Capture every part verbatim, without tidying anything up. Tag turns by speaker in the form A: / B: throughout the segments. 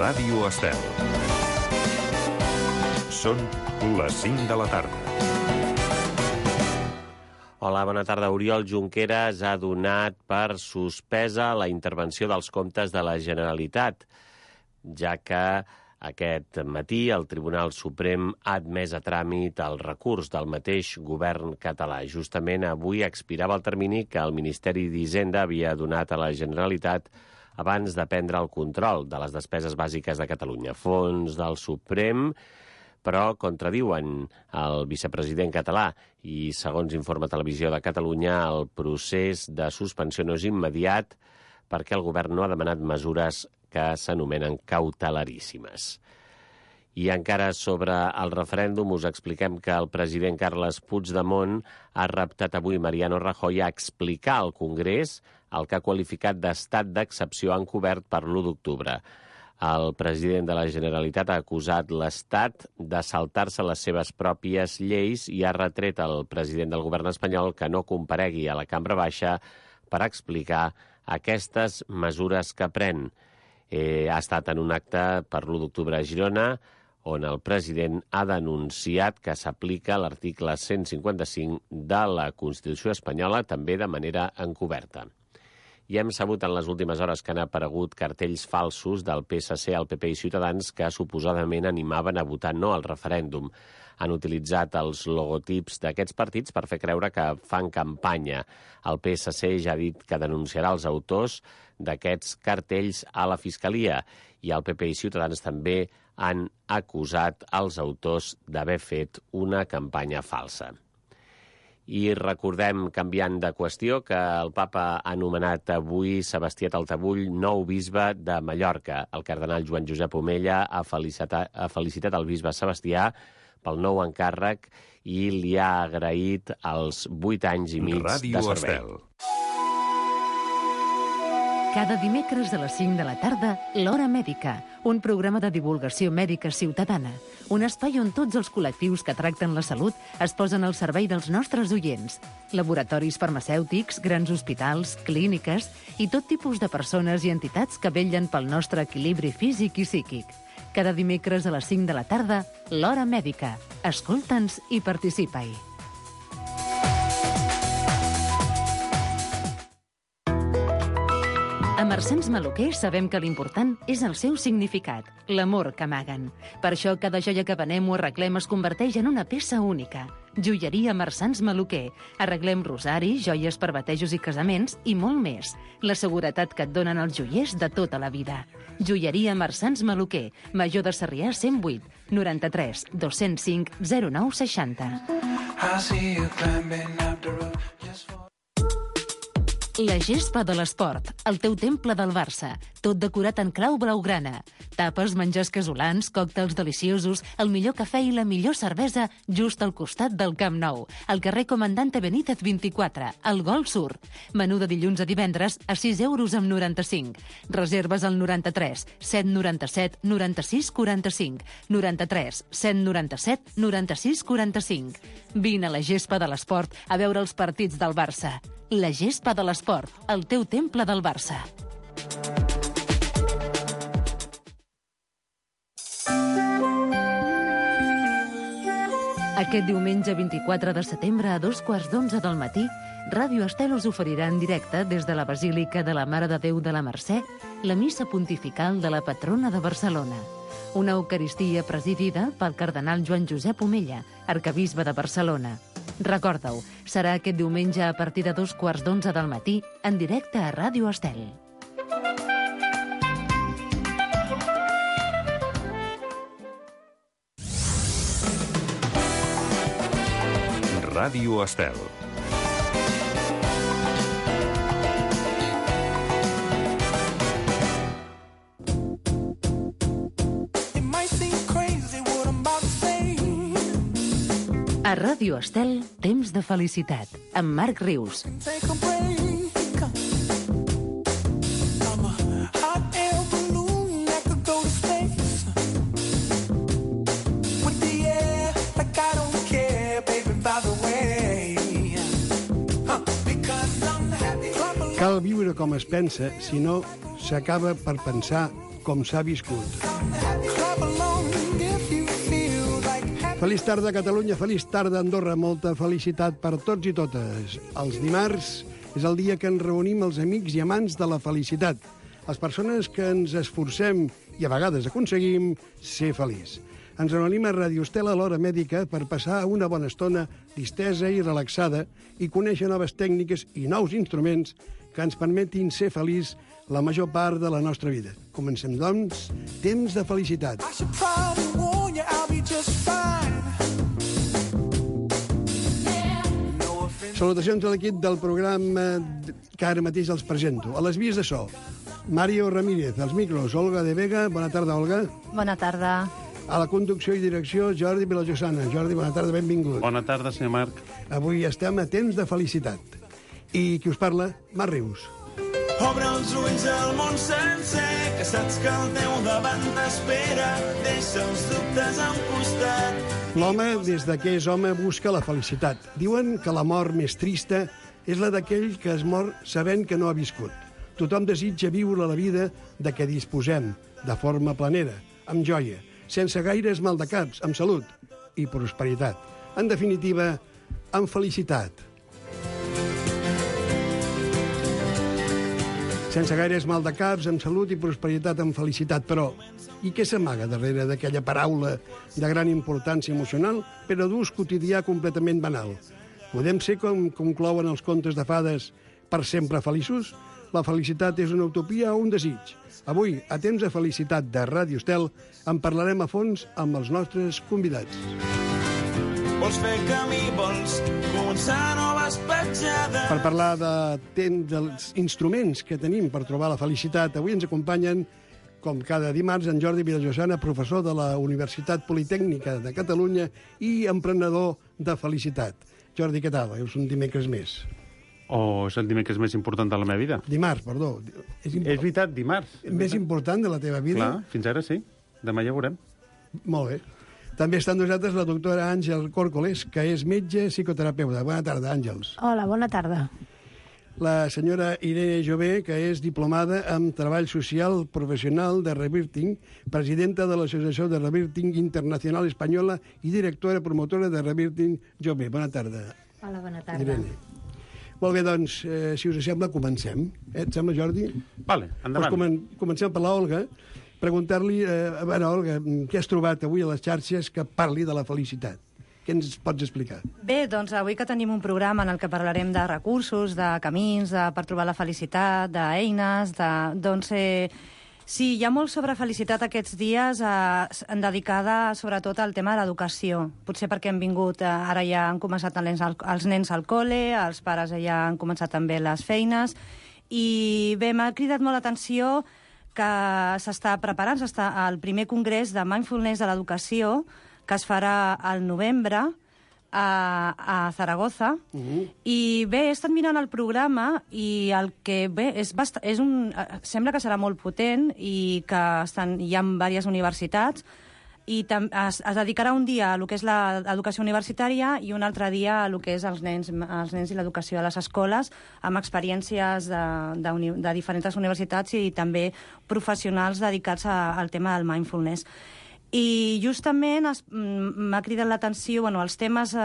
A: Ràdio Estel. Són les cinc de la tarda.
B: Hola, bona tarda. Oriol Junqueras ha donat per suspesa la intervenció dels comptes de la Generalitat, ja que aquest matí el Tribunal Suprem ha admès a tràmit el recurs del mateix govern català. Justament avui expirava el termini que el Ministeri d'Hisenda havia donat a la Generalitat abans de prendre el control de les despeses bàsiques de Catalunya. Fons del Suprem, però contradiuen el vicepresident català i, segons informa Televisió de Catalunya, el procés de suspensió no és immediat perquè el govern no ha demanat mesures que s'anomenen cautelaríssimes. I encara sobre el referèndum us expliquem que el president Carles Puigdemont ha reptat avui Mariano Rajoy a explicar al Congrés el que ha qualificat d'estat d'excepció encobert per l'u d'octubre. El president de la Generalitat ha acusat l'Estat de saltar-se les seves pròpies lleis i ha retret al president del govern espanyol que no comparegui a la Cambra Baixa per explicar aquestes mesures que pren. Eh, ha estat en un acte per l'u d'octubre a Girona, on el president ha denunciat que s'aplica l'article cent cinquanta-cinc de la Constitució espanyola, també de manera encoberta. I hem sabut en les últimes hores que han aparegut cartells falsos del P S C, el P P i Ciutadans que suposadament animaven a votar no al referèndum. Han utilitzat els logotips d'aquests partits per fer creure que fan campanya. El P S C ja ha dit que denunciarà els autors d'aquests cartells a la Fiscalia i el P P i Ciutadans també han acusat els autors d'haver fet una campanya falsa. I recordem, canviant de qüestió, que el papa ha anomenat avui Sebastià Taltabull nou bisbe de Mallorca. El cardenal Joan Josep Omella ha felicitat, ha felicitat el bisbe Sebastià pel nou encàrrec i li ha agraït els vuit anys i mig
A: Ràdio
B: de servei.
A: Estel.
C: Cada dimecres a les cinc de la tarda, L'Hora Mèdica, un programa de divulgació mèdica ciutadana. Un espai on tots els col·lectius que tracten la salut es posen al servei dels nostres oients. Laboratoris farmacèutics, grans hospitals, clíniques i tot tipus de persones i entitats que vetllen pel nostre equilibri físic i psíquic. Cada dimecres a les cinc de la tarda, L'Hora Mèdica. Escolta'ns i participa-hi. A Marsans Maluquer sabem que l'important és el seu significat, l'amor que amaguen. Per això cada joia que venem o arreglem es converteix en una peça única. Joieria Marsans Maluquer. Arreglem rosaris, joies per batejos i casaments i molt més. La seguretat que et donen els joiers de tota la vida. Joieria Marsans Maluquer. Major de Sarrià cent vuit, noranta-tres, dos-cents cinc, zero nou seixanta. La gespa de l'esport, el teu temple del Barça, tot decorat en clau blaugrana. Tapes, menjars casolans, còctels deliciosos, el millor cafè i la millor cervesa just al costat del Camp Nou, al carrer Comandante Benítez vint-i-quatre, al Gol Sur. Menú de dilluns a divendres a sis euros amb noranta-cinc. Reserves al noranta-tres, set noranta-set, noranta-sis quaranta-cinc, noranta-tres, set noranta-set, noranta-sis quaranta-cinc. Vine a la gespa de l'esport a veure els partits del Barça. La gespa de l'esport, el teu temple del Barça. Aquest diumenge vint-i-quatre de setembre a dos quarts d'onze del matí, Ràdio Estel us oferirà en directe des de la Basílica de la Mare de Déu de la Mercè la missa pontifical de la patrona de Barcelona. Una eucaristia presidida pel cardenal Joan Josep Omella, arquebisbe de Barcelona. Recorda-ho, serà aquest diumenge a partir de dos quarts d'onze del matí, en directe a Ràdio Estel.
A: Ràdio Estel.
C: A Ràdio Estel, temps de felicitat, amb Marc Rius.
D: Cal viure com es pensa, si no s'acaba per pensar com s'ha viscut. Feliç tarda, Catalunya, feliç tarda, Andorra. Molta felicitat per tots i totes. Els dimarts és el dia que ens reunim els amics i amants de la felicitat, les persones que ens esforcem i a vegades aconseguim ser feliç. Ens reunim a Radio Estel a l'hora mèdica per passar una bona estona distesa i relaxada i conèixer noves tècniques i nous instruments que ens permetin ser feliç la major part de la nostra vida. Comencem, doncs, temps de felicitat. Salutacions a l'equip del programa que ara mateix els presento. A les vies de so, Mario Ramírez, als micros, Olga de Vega. Bona tarda, Olga.
E: Bona tarda.
D: A la conducció i direcció, Jordi Vilajosana. Jordi, bona tarda, benvingut.
F: Bona tarda, senyor Marc.
D: Avui estem a temps de felicitat. I qui us parla? Marc Rius.
G: Obre els ulls al món sencer, que saps que al teu davant t'espera. Deixa els dubtes a un costat.
D: L'home, des de que és home, busca la felicitat. Diuen que la mort més trista és la d'aquell que es mor sabent que no ha viscut. Tothom desitja viure la vida de què disposem, de forma planera, amb joia, sense gaires maldecaps, amb salut i prosperitat. En definitiva, amb felicitat. Sense gaires maldecaps, amb salut i prosperitat, amb felicitat. Però, i què s'amaga darrere d'aquella paraula de gran importància emocional, però d'ús quotidià completament banal? Podem ser, com conclouen els contes de fades, per sempre feliços? La felicitat és una utopia o un desig? Avui, a temps de felicitat de Ràdio Estel, en parlarem a fons amb els nostres convidats.
G: Vols fer camí, vols començar noves petjades.
D: Per parlar de temps, dels instruments que tenim per trobar la felicitat, avui ens acompanyen, com cada dimarts, en Jordi Vilajosana, professor de la Universitat Politècnica de Catalunya i emprenedor de felicitat. Jordi, què tal? És un dimecres més.
F: O és el dimecres més important de la meva vida.
D: Dimarts, perdó. És,
F: És veritat, dimarts. És
D: més
F: veritat.
D: important de la teva vida?
F: Clar, fins ara sí. Demà ja veurem.
D: Molt bé. També està amb nosaltres la doctora Àngel Córcoles, que és metge psicoterapeuta. Bona tarda, Àngels.
E: Hola, bona tarda.
D: La senyora Irene Jové, que és diplomada en Treball Social Professional de Revirting, presidenta de l'Associació de Revirting Internacional Espanyola i directora promotora de Revirting Jové. Bona tarda.
E: Hola, bona tarda.
D: Irene. Molt bé, doncs, eh, si us sembla, comencem. Eh, et sembla, Jordi?
F: Vale, endavant.
D: Pues comen comencem per la Olga. Preguntar-li, eh, a veure, Olga, què has trobat avui a les xarxes que parli de la felicitat? Què ens pots explicar?
E: Bé, doncs avui que tenim un programa en el que parlarem de recursos, de camins, de, per trobar la felicitat, d'eines, de, doncs eh, sí, hi ha molt sobre felicitat aquests dies eh, dedicada sobretot al tema de l'educació. Potser perquè hem vingut, eh, ara ja han començat els nens, al, els nens al col·le, els pares ja han començat també les feines, i bé, m'ha cridat molt l'atenció que s'està preparant, s'està el primer congrés de Mindfulness de l'Educació, que es farà al novembre a, a Zaragoza. Uh-huh. I bé, he estat mirant el programa i el que bé, és bast és un, sembla que serà molt potent i que estan, hi ha diverses universitats, i es, es dedicarà un dia a lo que és l'educació universitària i un altre dia a lo que és els nens, els nens i l'educació a les escoles, amb experiències de, de, uni, de diferents universitats i també professionals dedicats a, al tema del mindfulness. I justament m'ha cridat l'atenció, bueno, els temes, eh,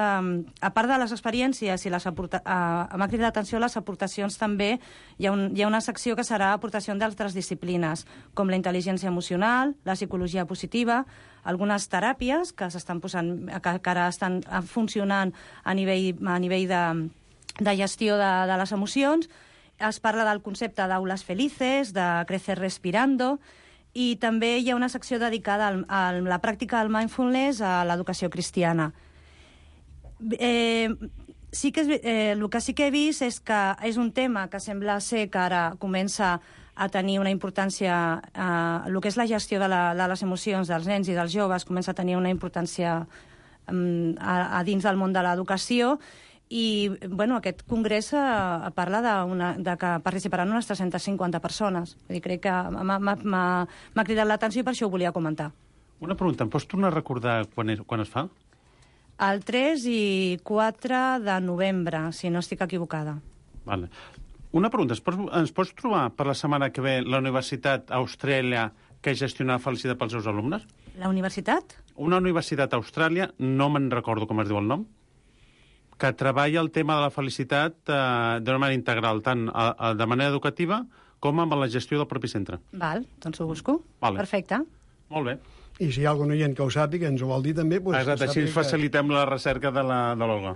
E: a part de les experiències, i les aporta, eh, m'ha cridat l'atenció les aportacions també, hi ha, un, hi ha una secció que serà aportació d'altres disciplines, com la intel·ligència emocional, la psicologia positiva, algunes teràpies que s'estan posant, que, que ara estan funcionant a nivell, a nivell de, de gestió de, de les emocions. Es parla del concepte d'aules felices, de crecer respirando, i també hi ha una secció dedicada al, a la pràctica del mindfulness a l'educació cristiana. Eh, sí que és, eh, el que sí que he vist és que és un tema que sembla ser que ara comença a tenir una importància, eh, el que és la gestió de, la, de les emocions dels nens i dels joves comença a tenir una importància eh, a, a dins del món de l'educació. I bueno, aquest congrés eh, parla de, una, de que participaran unes tres-centes cinquanta persones. Vull dir, crec que m'ha cridat l'atenció i per això ho volia comentar.
F: Una pregunta, em pots tornar a recordar quan, és, quan es fa?
E: El tres i quatre de novembre, si no estic equivocada.
F: Vale. Una pregunta, ens pots, ens pots trobar per la setmana que ve la Universitat Austràlia que gestionar felicitat pels seus alumnes.
E: La universitat?
F: Una universitat a Austràlia, no me'n recordo com es diu el nom, que treballa el tema de la felicitat eh, d'una manera integral, tant a, a, de manera educativa com amb la gestió del propi centre.
E: Val, doncs ho busco.
F: Vale.
E: Perfecte.
F: Molt bé.
D: I si hi ha algun oient que ho sàpiga, ens ho vol dir també... Doncs
F: Exacte, així ens facilitem la recerca de la de l'Olga.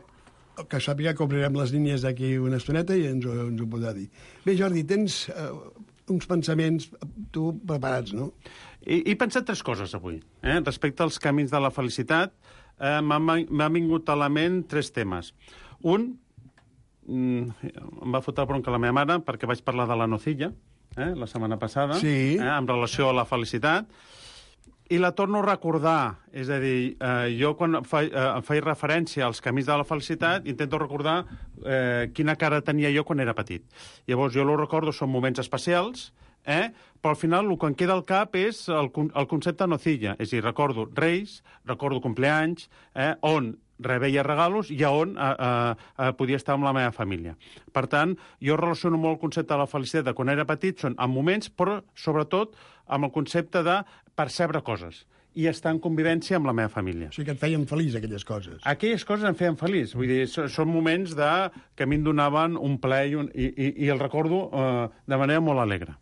D: Que, que sàpiga que obrirem les línies d'aquí una estoneta i ens ho, ens ho podrà dir. Bé, Jordi, tens uh, uns pensaments, tu, preparats, no?
F: He, he pensat tres coses avui. Eh? Respecte als camins de la felicitat, eh, m'ha vingut a la ment tres temes. Un, mm, em va fotre bronca la meva mare perquè vaig parlar de la nocilla, eh, la setmana passada,
D: sí.
F: eh, en relació a la felicitat, i la torno a recordar. És a dir, eh, jo quan fa, eh, em faig referència als camins de la felicitat, intento recordar eh, quina cara tenia jo quan era petit. Llavors, jo lo recordo, són moments especials, eh? Però al final el que em queda al cap és el, el concepte nocilla. És a dir, recordo reis, recordo compleanys, eh? on rebeia regalos i on eh, eh, podia estar amb la meva família. Per tant, jo relaciono molt el concepte de la felicitat de quan era petit, són en moments, però sobretot amb el concepte de percebre coses i estar en convivència amb la meva família.
D: O sigui que et feien feliç, aquelles coses.
F: Aquelles coses em feien feliç. Vull dir, són moments de, que a mi em donaven un plaer i, un, i, i, i el recordo eh, de manera molt alegre.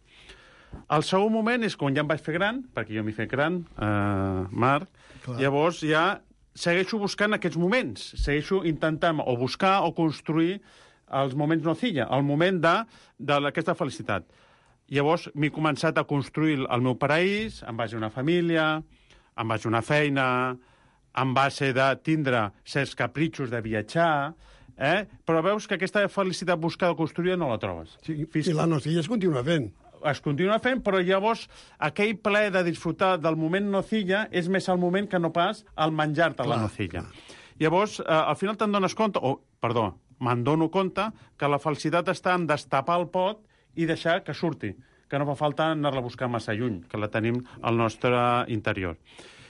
F: El segon moment és quan ja em vaig fer gran, perquè jo m'hi fet gran, eh, Marc, clar. Llavors ja segueixo buscant aquests moments, segueixo intentant o buscar o construir els moments nocilla, el moment d'aquesta felicitat. Llavors m'he començat a construir el meu paraís, en base a una família, en base a una feina, en base de tindre certs capritxos de viatjar, eh? Però veus que aquesta felicitat buscada construïda no la trobes.
D: Sí, Fins... I la nocilla es continua fent.
F: Es continua fent, però llavors aquell plaer de disfrutar del moment nocilla és més el moment que no pas el menjar-te la nocilla. Llavors, eh, al final te'n dones compte, o, perdó, me'n dono compte que la felicitat està en destapar el pot i deixar que surti, que no fa falta anar-la a buscar massa lluny, que la tenim al nostre interior.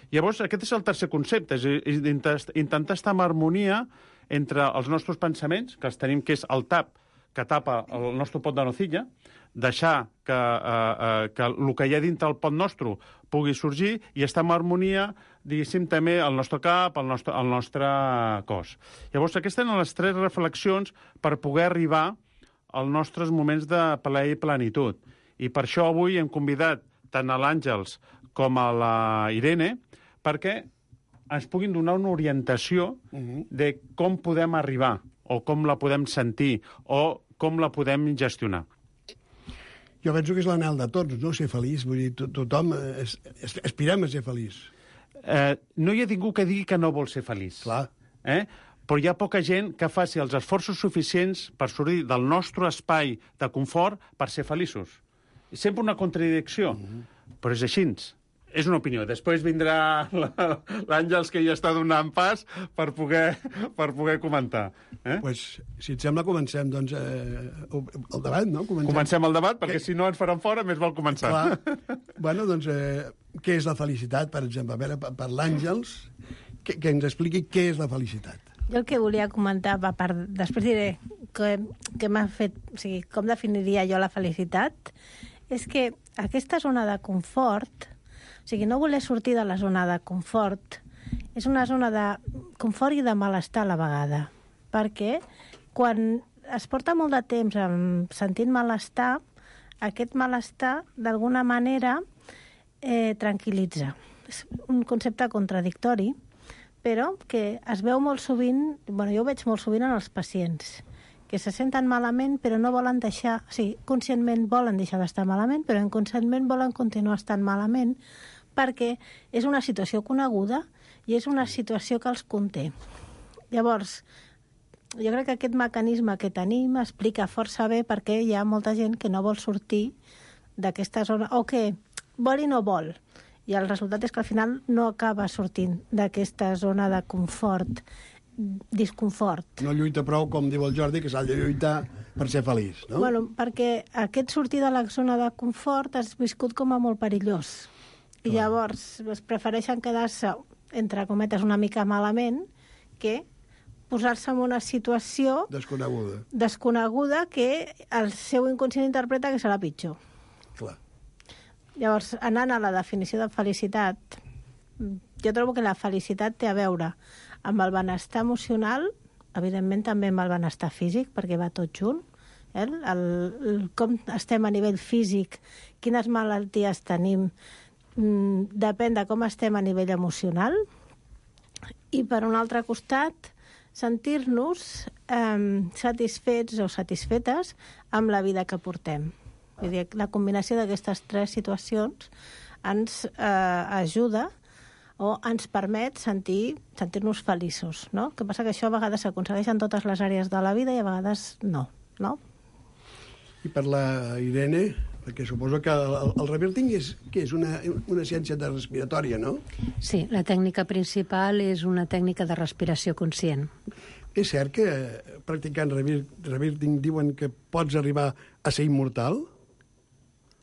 F: Llavors, aquest és el tercer concepte, és intentar estar en harmonia entre els nostres pensaments, que els tenim, que és el tap, que tapa el nostre pot de nocilla, deixar que, eh, eh, que el que hi ha dintre el pot nostre pugui sorgir i estar en harmonia, diguéssim, també el nostre cap, el nostre, el nostre cos. Llavors, aquestes són les tres reflexions per poder arribar als nostres moments de plaer i plenitud. I per això avui hem convidat tant a l'Àngels com a la Irene perquè ens puguin donar una orientació uh-huh. de com podem arribar o com la podem sentir o com la podem gestionar.
D: Jo penso que és l'anhel de tots, no? Ser feliç. Vull dir, to tothom es, es, aspirem a ser feliç.
F: Eh, no hi ha ningú que digui que no vol ser feliç.
D: Clar.
F: Eh? Però hi ha poca gent que faci els esforços suficients per sortir del nostre espai de confort per ser feliços. És sempre una contradicció, mm-hmm. però és així. És una opinió. Després vindrà l'Àngels, que ja està donant pas per poder, per poder comentar. Eh?
D: Pues, si et sembla, comencem doncs, eh, el debat, no?
F: Comencem, comencem el debat, perquè que... si no ens faran fora, més val començar.
D: Clar. Bueno, doncs, eh, què és la felicitat, per exemple? A veure, per l'Àngels, que, que ens expliqui què és la felicitat.
H: Jo el que volia comentar, a part, després diré que, que m'ha fet, o sigui, com definiria jo la felicitat, és que aquesta zona de confort, o sigui, no voler sortir de la zona de confort, és una zona de confort i de malestar a la vegada, perquè quan es porta molt de temps sentint malestar, aquest malestar, d'alguna manera, eh, tranquil·litza. És un concepte contradictori, però que es veu molt sovint, bueno, jo ho veig molt sovint en els pacients, que se senten malament però no volen deixar, o sigui, conscientment volen deixar d'estar malament, però inconscientment volen continuar estant malament perquè és una situació coneguda i és una situació que els conté. Llavors, jo crec que aquest mecanisme que tenim explica força bé perquè hi ha molta gent que no vol sortir d'aquesta zona, o que vol i no vol. I el resultat és que al final no acaba sortint d'aquesta zona de confort, disconfort.
D: No lluita prou, com diu el Jordi, que s'ha de lluitar per ser feliç, no?
H: Bueno, perquè aquest sortir de la zona de confort has viscut com a molt perillós. I llavors es prefereixen quedar-se, entre cometes, una mica malament que posar-se en una situació
D: desconeguda,
H: desconeguda que el seu inconscient interpreta que serà pitjor.
D: Clar.
H: Llavors, anant a la definició de felicitat, jo trobo que la felicitat té a veure amb el benestar emocional, evidentment també amb el benestar físic, perquè va tot junt, eh? el, el, com estem a nivell físic, quines malalties tenim, mm, depèn de com estem a nivell emocional, i per un altre costat, sentir-nos eh, satisfets o satisfetes amb la vida que portem. Vull dir, la combinació d'aquestes tres situacions ens eh, ajuda o ens permet sentir, sentir-nos feliços, no? El que passa que això a vegades s'aconsegueix en totes les àrees de la vida i a vegades no, no?
D: I per la Irene, perquè suposo que el, el reverting és, que és una, una ciència de respiratòria, no?
I: Sí, la tècnica principal és una tècnica de respiració conscient.
D: És cert que practicant reverting diuen que pots arribar a ser immortal?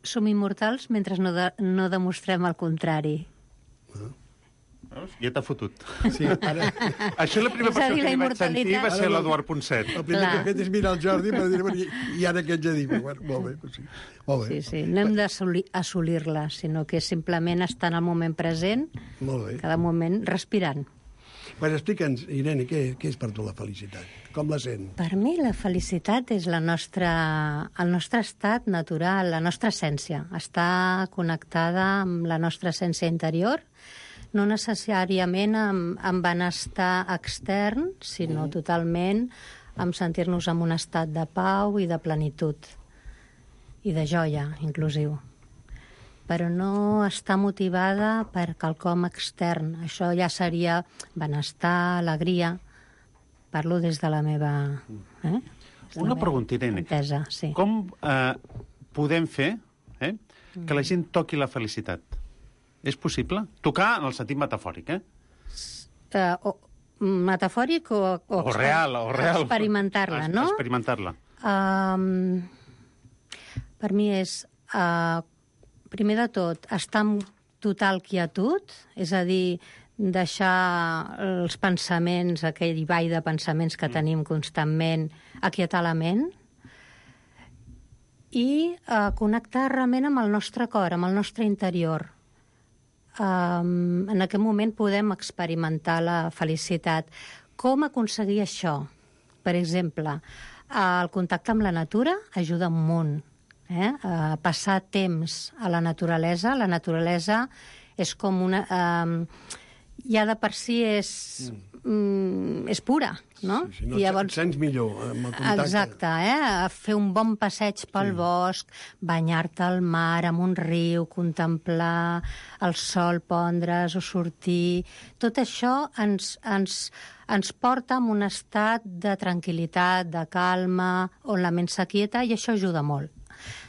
I: Som immortals mentre no, de, no demostrem el contrari.
D: Ah.
F: Ja t'ha fotut.
D: Sí, ara...
F: Això la primera
I: És a dir,
F: persona que
I: la
F: li vaig sentir va
I: immortalitat-
F: ser l'Eduard Ponset.
D: El primer
I: Clar.
D: que he fet és mirar el Jordi per dir, i, i ara què ets a dir? Bueno, molt bé, doncs sí. Molt bé.
I: Sí, sí, no hem d'assolir-la, sinó que simplement estar en el moment present,
D: Molt bé.
I: cada moment respirant.
D: Pues explica'ns, Irene, què, què és per tu la felicitat? Com la sent?
I: Per mi la felicitat és la nostra, el nostre estat natural, la nostra essència. Està connectada amb la nostra essència interior, no necessàriament amb, amb benestar extern, sinó totalment amb sentir-nos en un estat de pau i de plenitud, i de joia, inclusiu. Però no està motivada per quelcom extern. Això ja seria benestar, alegria. Parlo des de la meva... Eh? Des de
F: Una
I: la meva
F: pregunta, Irene.
I: entesa, sí.
F: Com eh, podem fer eh, que la gent toqui la felicitat? És possible? Tocar en el sentit metafòric, eh?
I: Uh, o, metafòric o... O,
F: O real, o real.
I: Experimentar-la,
F: Es-
I: no?
F: Experimentar-la.
I: Um, per mi és, uh, primer de tot, estar en total quietud, és a dir, deixar els pensaments, aquell ball de pensaments que tenim constantment, aquietar la ment, i uh, connectar realment amb el nostre cor, amb el nostre interior. Um, en aquest moment podem experimentar la felicitat. Com aconseguir això? Per exemple, el contacte amb la natura ajuda un munt. Eh? Uh, passar temps a la naturalesa. La naturalesa és com una... Um, ja de per si és, mm, és pura, no?
D: Sí, sí, no,
I: I
D: llavors... et sents millor amb el contacte.
I: Exacte, eh? Fer un bon passeig pel sí. bosc, banyar-te al mar, amb un riu, contemplar el sol pondre's o sortir... Tot això ens, ens, ens porta a un estat de tranquil·litat, de calma, on la ment s'aquieta, i això ajuda molt.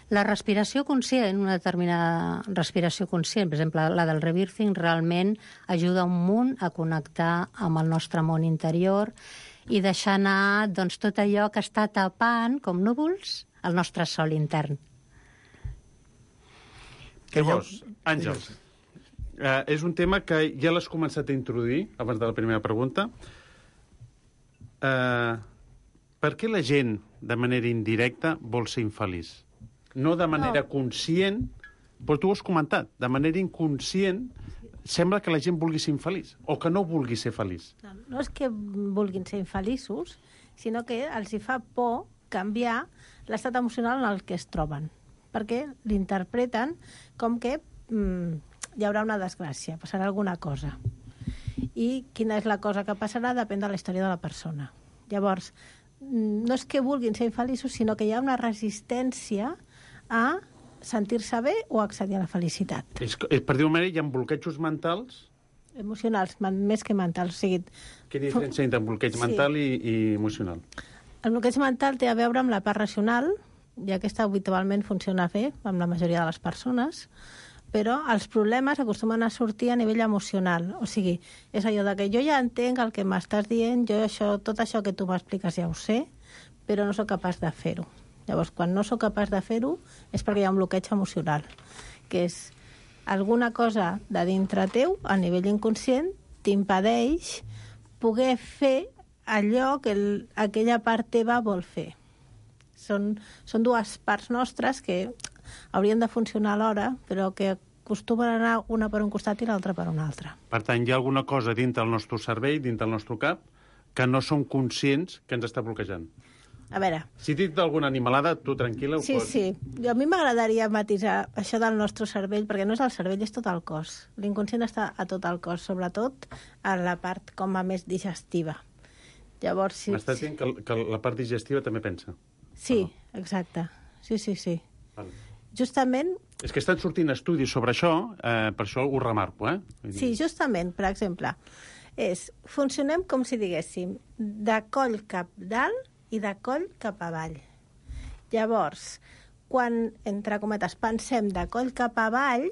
I: La respiració conscient, una determinada respiració conscient, per exemple, la del rebirthing, realment ajuda un munt a connectar amb el nostre món interior i deixar anar doncs, tot allò que està tapant, com núvols, el nostre sol intern.
F: Llavors, Àngels, eh, és un tema que ja l'has començat a introduir, abans de la primera pregunta. Eh, per què la gent, de manera indirecta, vol ser infeliç? No de manera no. conscient, però tu ho has comentat, de manera inconscient sembla que la gent vulgui ser infeliç, o que no vulgui ser feliç.
H: No, no és que vulguin ser infeliços, sinó que els hi fa por canviar l'estat emocional en el que es troben, perquè l'interpreten com que mm, hi haurà una desgràcia, passarà alguna cosa. I quina és la cosa que passarà depèn de la història de la persona. Llavors, no és que vulguin ser infeliços, sinó que hi ha una resistència a sentir-se bé o accedir a la felicitat.
F: És, és, per dir-ho manera, hi ha bloquejos mentals.
H: Emocionals, man, més que mentals. O sigui,
F: Quina diferència entre bloqueig
H: sí.
F: mental i, i emocional?
H: El bloqueig mental té a veure amb la part racional, i aquesta habitualment funciona bé amb la majoria de les persones, però els problemes acostumen a sortir a nivell emocional. O sigui, és allò de que jo ja entenc el que m'estàs dient, jo això, tot això que tu m'expliques ja ho sé, però no sóc capaç de fer-ho. Llavors, quan no sóc capaç de fer-ho, és perquè hi ha un bloqueig emocional, que és alguna cosa de dintre teu, a nivell inconscient, t'impedeix poder fer allò que el, aquella part teva vol fer. Són, són dues parts nostres que haurien de funcionar alhora, però que acostumen a anar una per un costat i l'altra per un altre.
F: Per tant, hi ha alguna cosa dintre del nostre cervell, dintre del nostre cap, que no som conscients que ens està bloquejant.
H: A veure...
F: Si dic d'alguna animalada, tu tranquil·la ho
H: Sí,
F: pots...
H: sí. Jo, a mi m'agradaria matisar això del nostre cervell, perquè no és el cervell, és tot el cos. L'inconscient està a tot el cos, sobretot a la part com a més digestiva. Llavors, si...
F: M'estàs dient que, que la part digestiva també pensa?
H: Sí, exacte. Sí, sí, sí.
F: Vale.
H: Justament...
F: És que estan sortint estudis sobre això, eh, per això ho remarco, eh?
H: Sí, justament, per exemple, és, funcionem com si diguéssim de coll cap dalt i de coll cap avall. Llavors, quan, entre cometes, pensem de coll cap avall,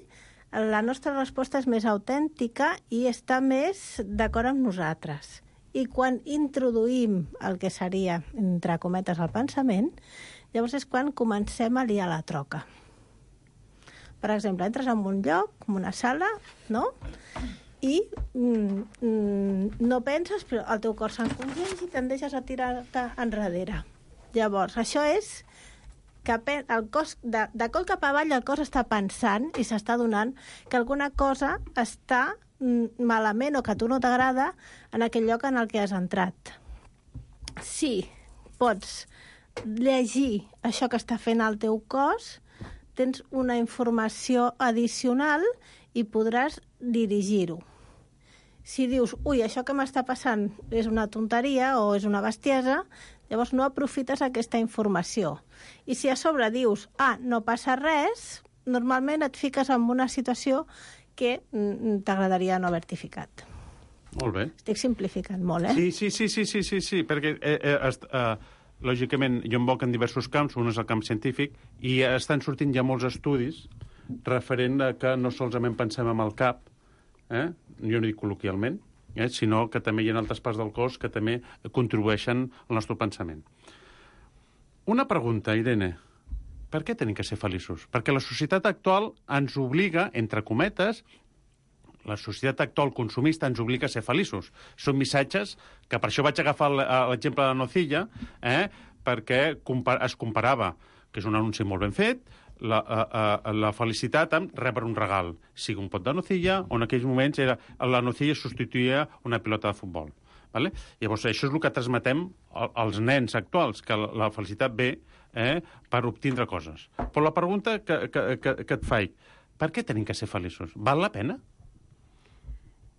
H: la nostra resposta és més autèntica i està més d'acord amb nosaltres. I quan introduïm el que seria, entre cometes, el pensament, llavors és quan comencem a liar la troca. Per exemple, entres en un lloc, en una sala, no?, i mm, mm, no penses, però el teu cor s'encongeix i te'n deixes a tirar-te enrere. Llavors, això és que el cos, de, de coll cap avall el cos està pensant i s'està donant que alguna cosa està mm, malament o que a tu no t'agrada en aquell lloc en el que has entrat. Si pots llegir això que està fent el teu cos, tens una informació addicional i podràs dirigir-ho. Si dius, ui, això que m'està passant és una tonteria o és una bestiesa, llavors no aprofites aquesta informació. I si a sobre dius, ah, no passa res, normalment et fiques en una situació que mm, t'agradaria no haver-t'hi ficat.
F: Molt bé.
H: Estic simplificant molt, eh?
F: Sí, sí, sí, sí, sí, sí, sí perquè, eh, eh, est, eh, lògicament, jo em boc en diversos camps, un és el camp científic, i estan sortint ja molts estudis referent a que no solament pensem amb el cap, eh? jo no dic col·loquialment, eh? sinó que també hi ha altres parts del cos que també contribueixen al nostre pensament. Una pregunta, Irene. Per què tenim que ser feliços? Perquè la societat actual ens obliga, entre cometes, la societat actual consumista ens obliga a ser feliços. Són missatges que per això vaig agafar l'exemple de la nocilla, eh? perquè es comparava, que és un anunci molt ben fet, la, a, a, la felicitat amb rebre un regal, sigui un pot de nocilla, o en aquells moments era, la nocilla substituïa una pilota de futbol. Vale? Llavors, això és el que transmetem als nens actuals, que la felicitat ve eh, per obtindre coses. Però la pregunta que, que, que, que et faig, per què tenim que ser feliços? Val la pena?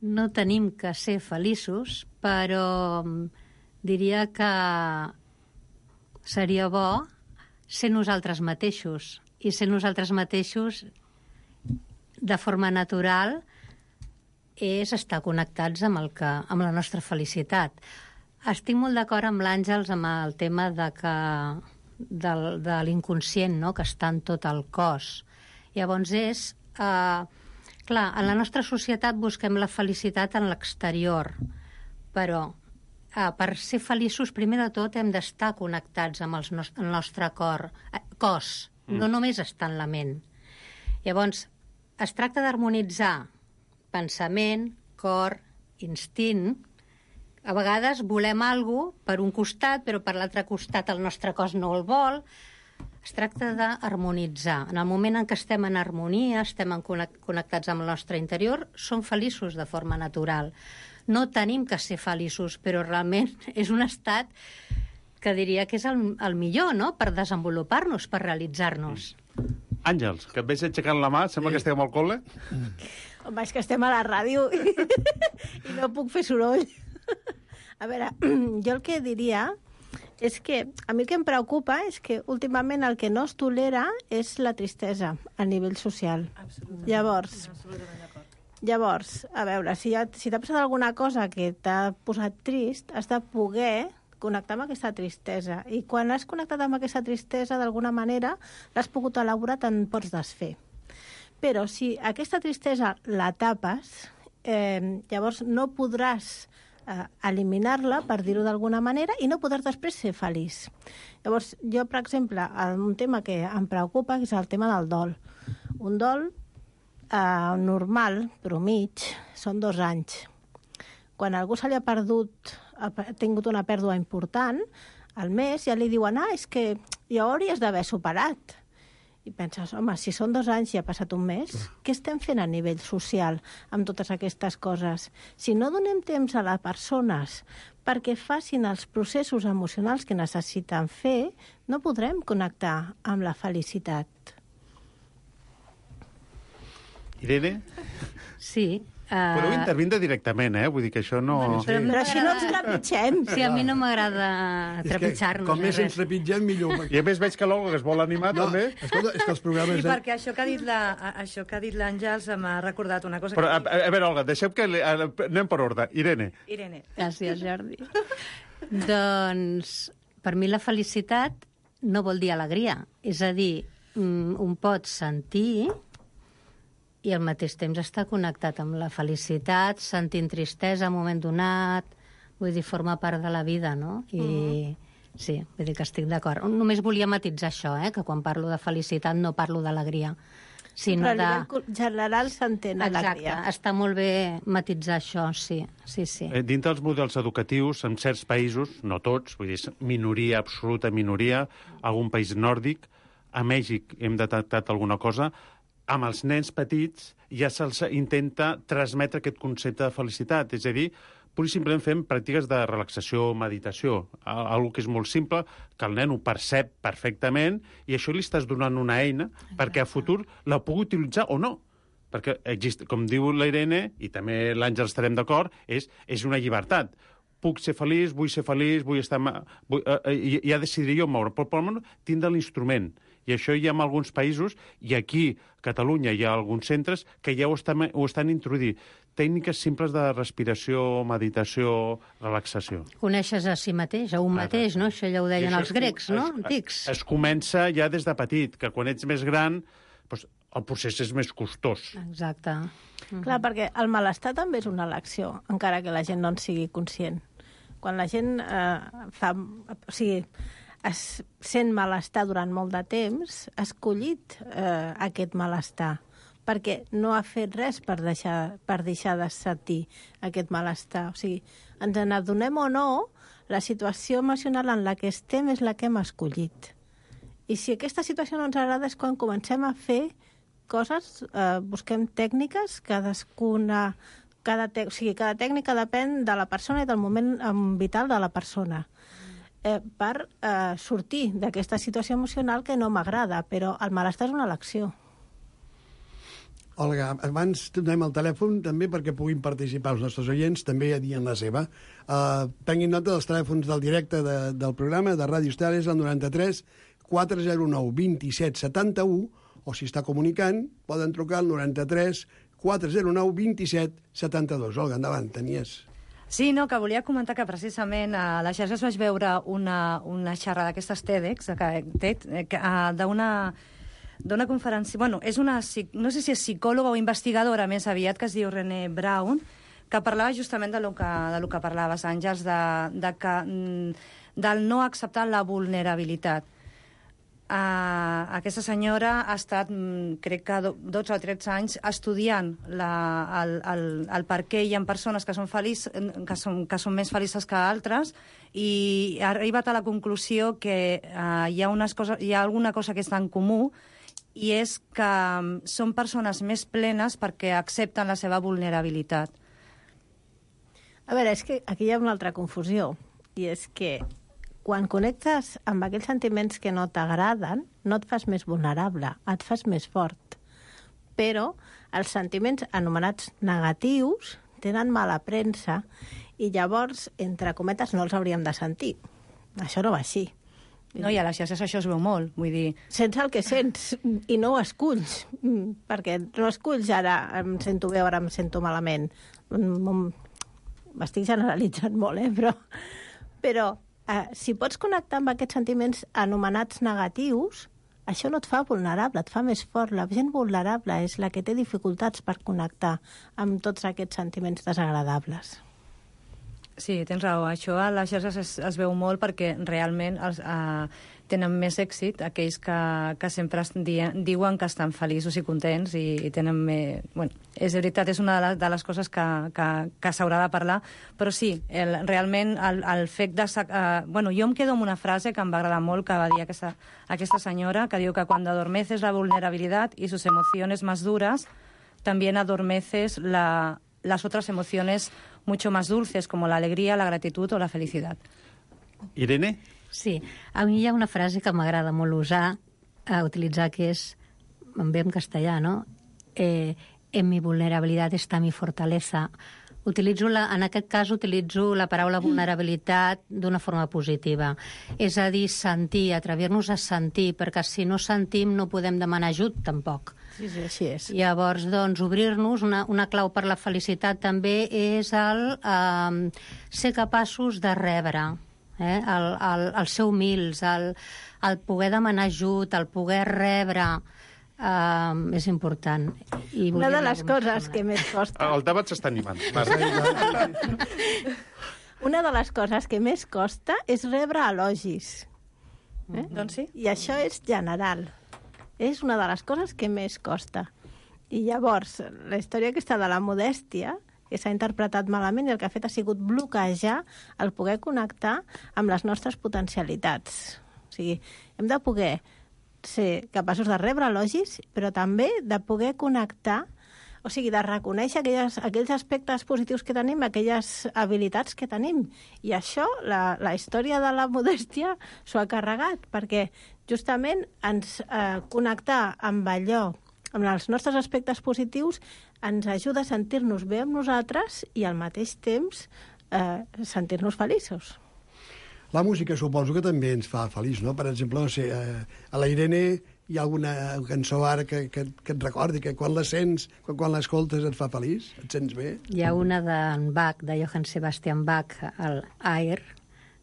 I: No tenim que ser feliços, però diria que seria bo ser nosaltres mateixos. I ser nosaltres mateixos de forma natural és estar connectats amb, el que, amb la nostra felicitat. Estic molt d'acord amb l'Àngels amb el tema de, que, de, de l'inconscient, no?, que està en tot el cos. Llavors és... Eh, clar, en la nostra societat busquem la felicitat en l'exterior, però eh, per ser feliços, primer de tot, hem d'estar connectats amb els nos el nostre cor, eh, cos, mm. no només estar en la ment. Llavors, es tracta d'harmonitzar pensament, cor, instint. A vegades volem alguna cosa per un costat, però per l'altre costat el nostre cos no el vol. Es tracta d'harmonitzar. En el moment en què estem en harmonia, estem en connectats amb el nostre interior, som feliços de forma natural. No tenim que ser feliços, però realment és un estat que diria que és el, el millor, no?, per desenvolupar-nos, per realitzar-nos.
F: Àngels, que et veig aixecant la mà, sembla sí. que estiguem al col·le.
H: Home, és que estem a la ràdio i, i no puc fer soroll. A veure, jo el que diria és que a mi el que em preocupa és que últimament el que no es tolera és la tristesa a nivell social. Absolutament. Llavors, Absolutament d'acord. Llavors, a veure, si, ha, si t'ha passat alguna cosa que t'ha posat trist, has de poder connectar amb aquesta tristesa. I quan has connectat amb aquesta tristesa, d'alguna manera, l'has pogut elaborar, te'n pots desfer. Però si aquesta tristesa la tapes, eh, llavors no podràs eh, eliminar-la, per dir-ho d'alguna manera, i no podràs després ser feliç. Llavors, jo, per exemple, un tema que em preocupa és el tema del dol. Un dol eh, normal, però mig, són dos anys. Quan a algú se li ha perdut, ha tingut una pèrdua important, al mes ja li diuen, ah, és que ja ho hauries d'haver superat. I penses, home, si són dos anys i ha passat un mes, què estem fent a nivell social amb totes aquestes coses? Si no donem temps a les persones perquè facin els processos emocionals que necessiten fer, no podrem connectar amb la felicitat.
F: Irene?
I: Sí. Uh...
F: Podeu intervindre directament, eh? Vull dir que això no...
H: Bueno, però, però així no ens trepitgem.
I: Sí, a mi no m'agrada trepitjar-nos.
D: Com més ens trepitgem, millor.
F: I a més veig que l'Olga es vol animar,
D: no,
F: també.
D: Escolta, és que els programes...
E: Sí, perquè això que ha dit la, això que ha dit l'Àngels m'ha recordat una cosa...
F: Però, a,
E: que...
F: a veure, Olga, deixem que... Anem per ordre. Irene.
E: Irene.
I: Gràcies, Jordi. Doncs, per mi la felicitat no vol dir alegria. És a dir, un pot sentir i al mateix temps està connectat amb la felicitat, sentint tristesa en un moment donat, vull dir, forma part de la vida, no? I mm. sí, vull dir que estic d'acord. Només volia matitzar això, eh? Que quan parlo de felicitat no parlo d'alegria, sinó
H: Però a
I: de...
H: nivell general s'entén alegria.
I: Exacte, està molt bé matitzar això, sí, sí, sí.
F: Eh, dintre dels models educatius, en certs països, no tots, vull dir, minoria, absoluta minoria, algun país nòrdic, a Mèxic hem detectat alguna cosa, amb els nens petits ja se'ls intenta transmetre aquest concepte de felicitat. És a dir, pur i simplement fem pràctiques de relaxació, meditació, algo que és molt simple, que el nen ho percep perfectament i això li estàs donant una eina Exacte. Perquè a futur la pugui utilitzar o no. Perquè, existe, com diu la Irene, i també l'Àngel estarem d'acord, és, és una llibertat. Puc ser feliç, vull ser feliç, vull estar... Vull, eh, ja decidiré jo moure, però per almenys tindre l'instrument. I això hi ha en alguns països, i aquí, a Catalunya, hi ha alguns centres que ja ho estan, ho estan introduint. Tècniques simples de respiració, meditació, relaxació.
I: Coneixes a si mateix, a un mateix, no? Això ja ho deien els grecs, no?
F: Es,
I: Antics.
F: Es, es comença ja des de petit, que quan ets més gran, doncs, el procés és més costós.
I: Exacte.
H: Mm-hmm. Clar, perquè el malestar també és una elecció, encara que la gent no en sigui conscient. Quan la gent eh, fa... O sigui, es sent malestar durant molt de temps, ha escollit eh, aquest malestar, perquè no ha fet res per deixar, per deixar de sentir aquest malestar. O sigui, ens n'adonem o no, la situació emocional en la que estem és la que hem escollit. I si aquesta situació no ens agrada és quan comencem a fer coses, eh, busquem tècniques, cadascuna... Cada, te... o sigui, cada tècnica depèn de la persona i del moment vital de la persona. Eh, per eh, sortir d'aquesta situació emocional que no m'agrada, però el malestar és una elecció.
D: Olga, abans donem el telèfon també perquè puguin participar els nostres oients, també a dir en la seva. Uh, prenguin nota dels telèfons del directe de, del programa de Ràdio Estel, és el noranta-tres quatre zero nou vint-i-set setanta-u, o si està comunicant, poden trucar al noranta-tres quatre zero nou vint-i-set setanta-dos. Olga, endavant, tenies...
E: Sí, no, que volia comentar que precisament a les xarxes vaig veure una, una xerrada d'aquestes TEDx, d'una d'una conferència... Bueno, és una, no sé si és psicòloga o investigadora més aviat, que es diu Brené Brown, que parlava justament de lo que, de lo que parlaves, Àngels, de, de que, del no acceptar la vulnerabilitat. Uh, aquesta senyora ha estat, crec que dotze o tretze anys, estudiant la, el, el, el per què hi ha persones que són, feliç, que, són, que són més felices que altres, i ha arribat a la conclusió que uh, hi, ha unes coses, hi ha alguna cosa que està en comú, i és que um, són persones més plenes perquè accepten la seva vulnerabilitat.
H: A veure, és que aquí hi ha una altra confusió, i és que quan connectes amb aquells sentiments que no t'agraden, no et fas més vulnerable, et fas més fort. Però els sentiments anomenats negatius tenen mala premsa i llavors, entre cometes, no els hauríem de sentir. Això no va així.
E: No, i a les xarxes això es veu molt, vull dir...
H: Sents el que sents i no ho esculls, perquè no esculls ara em sento bé, ara em sento malament. M'estic generalitzant molt, eh? Però... però Uh, si pots connectar amb aquests sentiments anomenats negatius, això no et fa vulnerable, et fa més fort. La gent vulnerable és la que té dificultats per connectar amb tots aquests sentiments desagradables.
E: Sí, tens raó. Això a les xarxes es, es veu molt perquè realment els, uh, tenen més èxit, aquells que, que sempre es di diuen que estan feliços i contents i, i tenen més... Bueno, és veritat, és una de les, de les coses que, que, que s'haurà de parlar, però sí, el, realment el, el fet de... Uh, bueno, jo em quedo amb una frase que em va agradar molt, que va dir aquesta, aquesta senyora, que diu que quan adormeces la vulnerabilitat i sus emociones más duras, también adormeces la, las otras emociones mucho más dulces, como la alegría, la gratitud o la felicidad.
F: Irene?
I: Sí, a mi hi ha una frase que m'agrada molt usar, a utilitzar, que és, em ve en castellà, no? Eh, en mi vulnerabilitat està mi fortaleza. Utilitzo la, en aquest cas utilitzo la paraula vulnerabilitat d'una forma positiva. És a dir, sentir, atrevir-nos a sentir, perquè si no sentim no podem demanar ajut, tampoc.
H: Sí, sí, així és.
I: Llavors, doncs, obrir-nos, una, una clau per la felicitat també és el eh, ser capaços de rebre, eh? el, el, el ser humils, el, el poder demanar ajut, el poder rebre, eh, és important. I
H: una de les coses que més costa...
F: El debat s'està animant.
H: Una de les coses que més costa és rebre elogis. Eh?
E: Doncs sí.
H: I això és general. És una de les coses que més costa. I llavors, la història aquesta de la modèstia, que s'ha interpretat malament i el que ha fet ha sigut bloquejar el poder connectar amb les nostres potencialitats. O sigui, hem de poder ser capaços de rebre elogis, però també de poder connectar, o sigui, de reconèixer aquelles, aquells aspectes positius que tenim, aquelles habilitats que tenim. I això, la, la història de la modèstia s'ho ha carregat, perquè justament ens eh, connectar amb allò, amb els nostres aspectes positius, ens ajuda a sentir-nos bé amb nosaltres i al mateix temps eh, sentir-nos feliços.
D: La música suposo que també ens fa feliç, no? Per exemple, no sé, eh, a la Irene hi ha alguna cançó ara que, que, que et recordi, que quan la sents, quan, quan l'escoltes et fa feliç? Et sents bé?
I: Hi ha una d'en Bach, de Johann Sebastian Bach, el Air,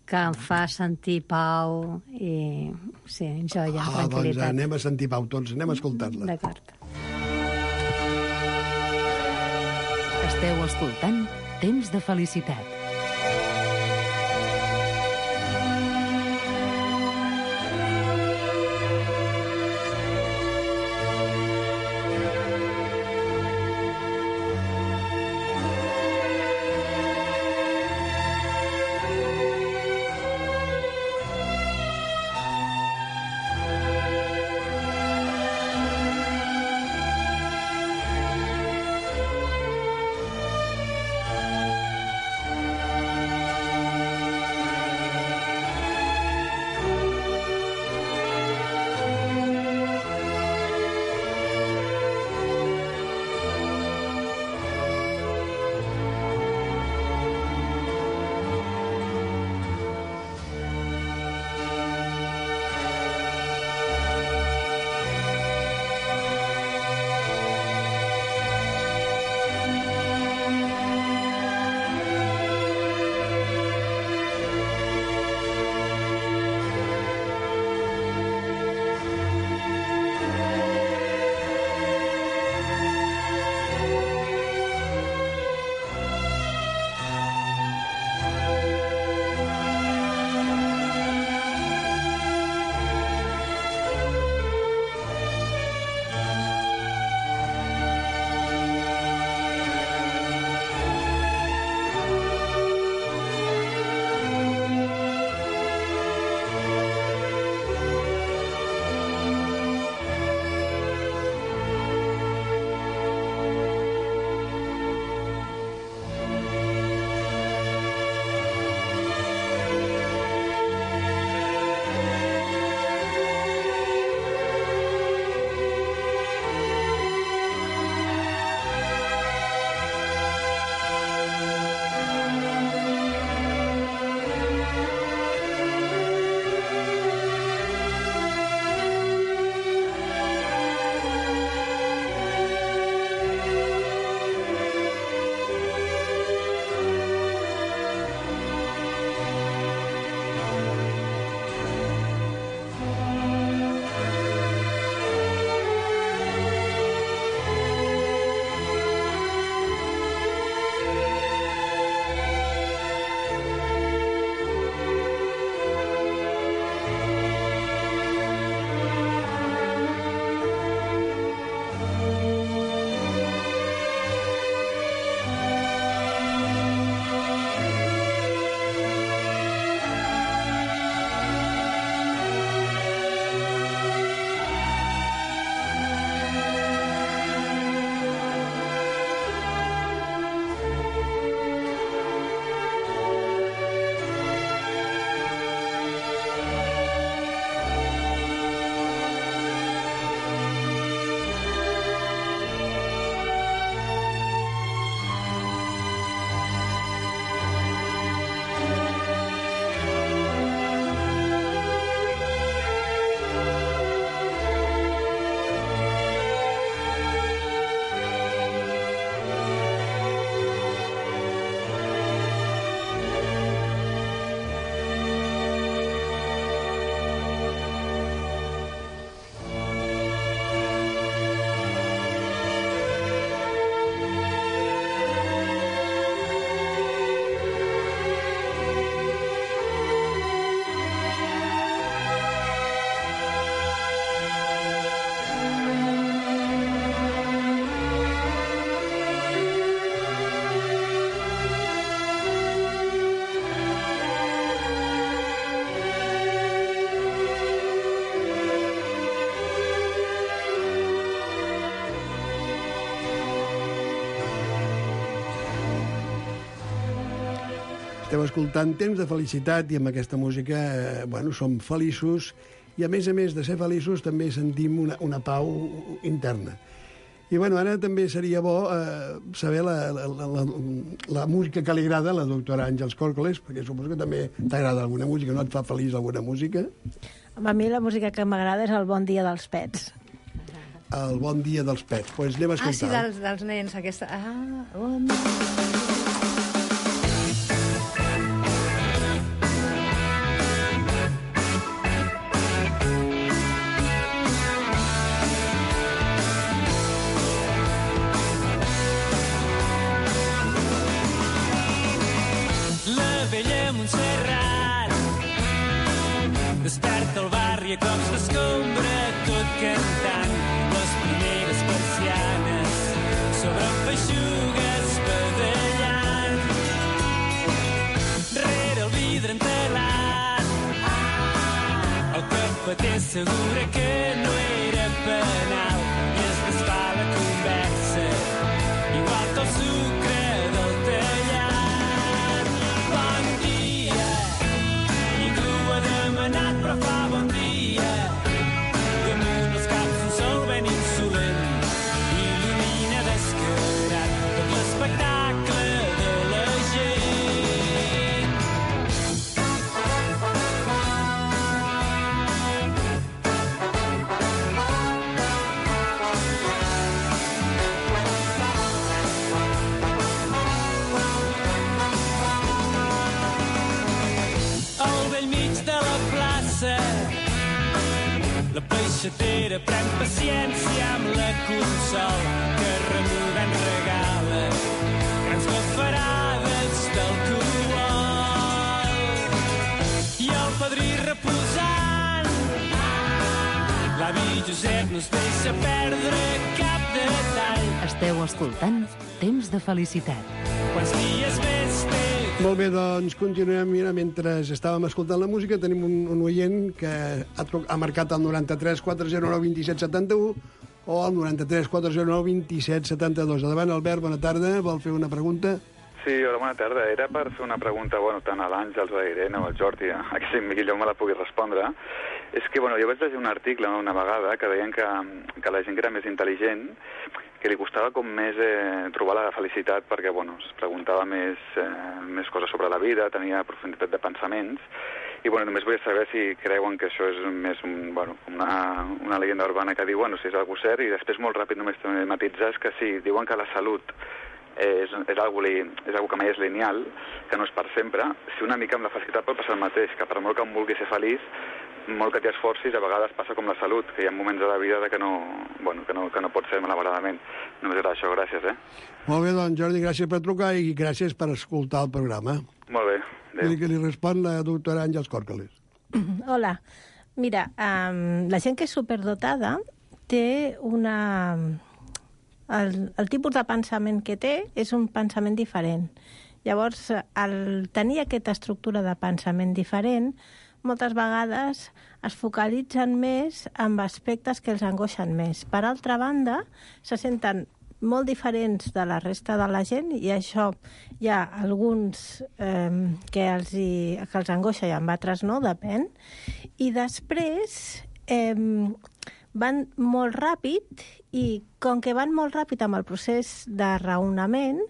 I: que em fa sentir pau i, sí, joia,
D: ah,
I: tranquil·litat.
D: Doncs anem a sentir pau tots, anem a escoltar-la.
I: D'acord.
C: Esteu escoltant Temps de Felicitat.
D: Esteu escoltant Temps de Felicitat i amb aquesta música, eh, bueno, som feliços i a més a més de ser feliços també sentim una, una pau interna. I bueno, ara també seria bo eh, saber la, la, la, la, la música que li agrada a la doctora Àngels Còrcoles, perquè suposo que també t'agrada alguna música, no et fa feliç alguna música?
H: A mi la música que m'agrada és el Bon dia dels pets.
D: El Bon dia dels pets. Doncs pues anem a escoltar.
E: Ah, sí, dels, dels nens, aquesta... Ah, bon dia.
G: Desperta el barri a cops d'escombra, tot cantant les primeres persianes sobre feixugues badallant. Rere el vidre entelat, el cafeter assegura que no era penal i es desfà la conversa, igual que el sucre del tallat. Bon dia, ningú ha demanat però fa bon dia. Damunt els caps un sol ben insolent il·lumina descarat tot l'espectacle de la gent. Al vell mig de la plaça la peixatera pren paciència amb la consol que remugant regala grans bafarades d'alcohol. I el padrí reposant, l'avi Josep no es deixa perdre cap detall.
C: Esteu escoltant Temps de Felicitat.
G: Quants dies més té?
D: Molt bé, doncs continuem. Mira, mentre estàvem escoltant la música tenim un, un oient que ha, ha marcat el noranta-tres quatre zero nou dos set set u o el noranta-tres quatre zero nou dos set set dos. Endavant, Albert, bona tarda. Vol fer una pregunta?
J: Sí, hola, bona tarda. Era per fer una pregunta, bueno, tant a l'Àngels, a l'Irene o al Jordi, a que si millor me la pugui respondre. És que, bueno, jo vaig llegir un article una vegada que deien que, que la gent que era més intel·ligent, que li costava com més eh, trobar la felicitat perquè, bueno, es preguntava més, eh, més coses sobre la vida, tenia profunditat de pensaments, i, bueno, només volia saber si creuen que això és més un, bueno, una, una llegenda urbana que diu, bueno, si és algú cert, i després molt ràpid només també matitzar és que sí, diuen que la salut és, és, algo li, és algo que mai és lineal, que no és per sempre. Si una mica amb la felicitat pot passar el mateix, que per molt que em vulgui ser feliç, molt que t'hi esforcis, a vegades passa com la salut, que hi ha moments de la vida que no, bueno, que no, que no pot ser malauradament. Només era això, gràcies, eh?
D: Molt bé, doncs, Jordi, gràcies per trucar i gràcies per escoltar el programa.
J: Molt bé, adéu.
D: I que li respon la doctora Àngels Còrcoles.
H: Hola. Mira, um, la gent que és superdotada té una... El, el tipus de pensament que té és un pensament diferent. Llavors, al tenir aquesta estructura de pensament diferent, moltes vegades es focalitzen més en aspectes que els angoixen més. Per altra banda, se senten molt diferents de la resta de la gent i això hi ha alguns eh, que, els hi, que els angoixa i amb altres no, depèn. I després eh, van molt ràpid i com que van molt ràpid amb el procés de raonament,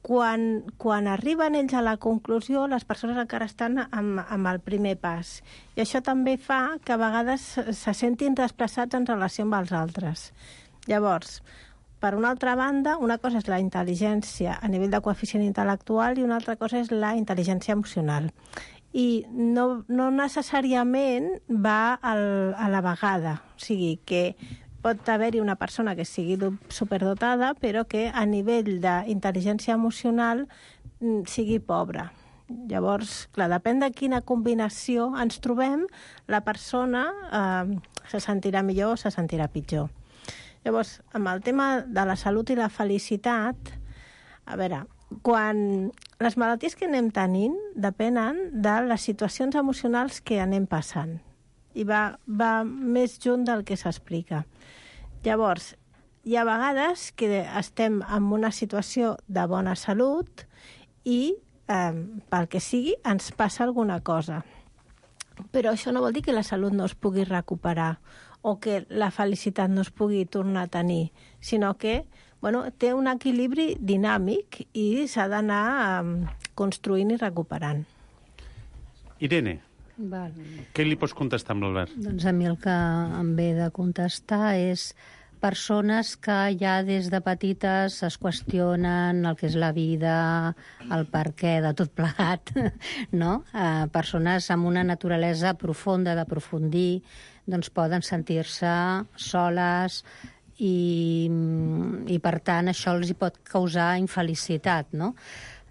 H: Quan, quan arriben ells a la conclusió, les persones encara estan amb, amb el primer pas. I això també fa que a vegades se sentin desplaçats en relació amb els altres. Llavors, per una altra banda, una cosa és la intel·ligència a nivell de coeficient intel·lectual i una altra cosa és la intel·ligència emocional. I no, no necessàriament va al, a la vegada. O sigui, que pot haver-hi una persona que sigui superdotada, però que a nivell d'intel·ligència emocional sigui pobra. Llavors, clar, depèn de quina combinació ens trobem, la persona eh, se sentirà millor o se sentirà pitjor. Llavors, amb el tema de la salut i la felicitat, a veure, quan les malalties que anem tenint depenen de les situacions emocionals que anem passant. I va, va més junt del que s'explica. Llavors, hi ha vegades que estem en una situació de bona salut i eh, pel que sigui, ens passa alguna cosa. Però això no vol dir que la salut no es pugui recuperar o que la felicitat no es pugui tornar a tenir, sinó que bueno, té un equilibri dinàmic i s'ha d'anar eh, construint i recuperant.
F: Irene,
I: Val.
F: què li pots contestar amb l'Albert?
I: Doncs a mi el que em ve de contestar és persones que ja des de petites es qüestionen el que és la vida, el per què de tot plegat, no? Eh, persones amb una naturalesa profunda d'aprofundir, doncs poden sentir-se soles i, i per tant això els hi pot causar infelicitat, no?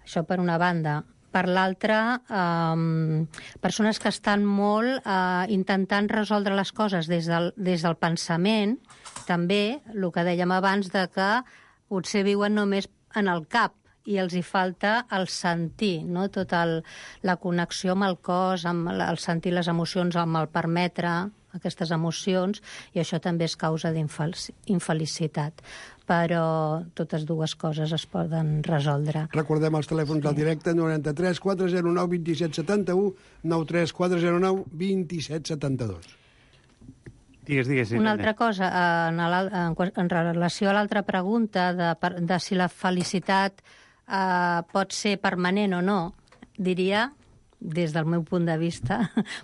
I: Això per una banda. Per l'altra, eh, persones que estan molt eh, intentant resoldre les coses des del, des del pensament, també, el que dèiem abans, de que potser viuen només en el cap i els hi falta el sentir, no? Tota el, la connexió amb el cos, amb el, el sentir les emocions, amb el permetre aquestes emocions, i això també és causa d'infelicitat. Però totes dues coses es poden resoldre.
D: Recordem els telèfons del directe, noranta-tres quatre zero nou dos set set u, nou tres quatre zero nou dos set set dos.
F: Digues, digues.
I: Una altra cosa, en, en, en relació a l'altra pregunta de, de si la felicitat eh, pot ser permanent o no, diria, des del meu punt de vista,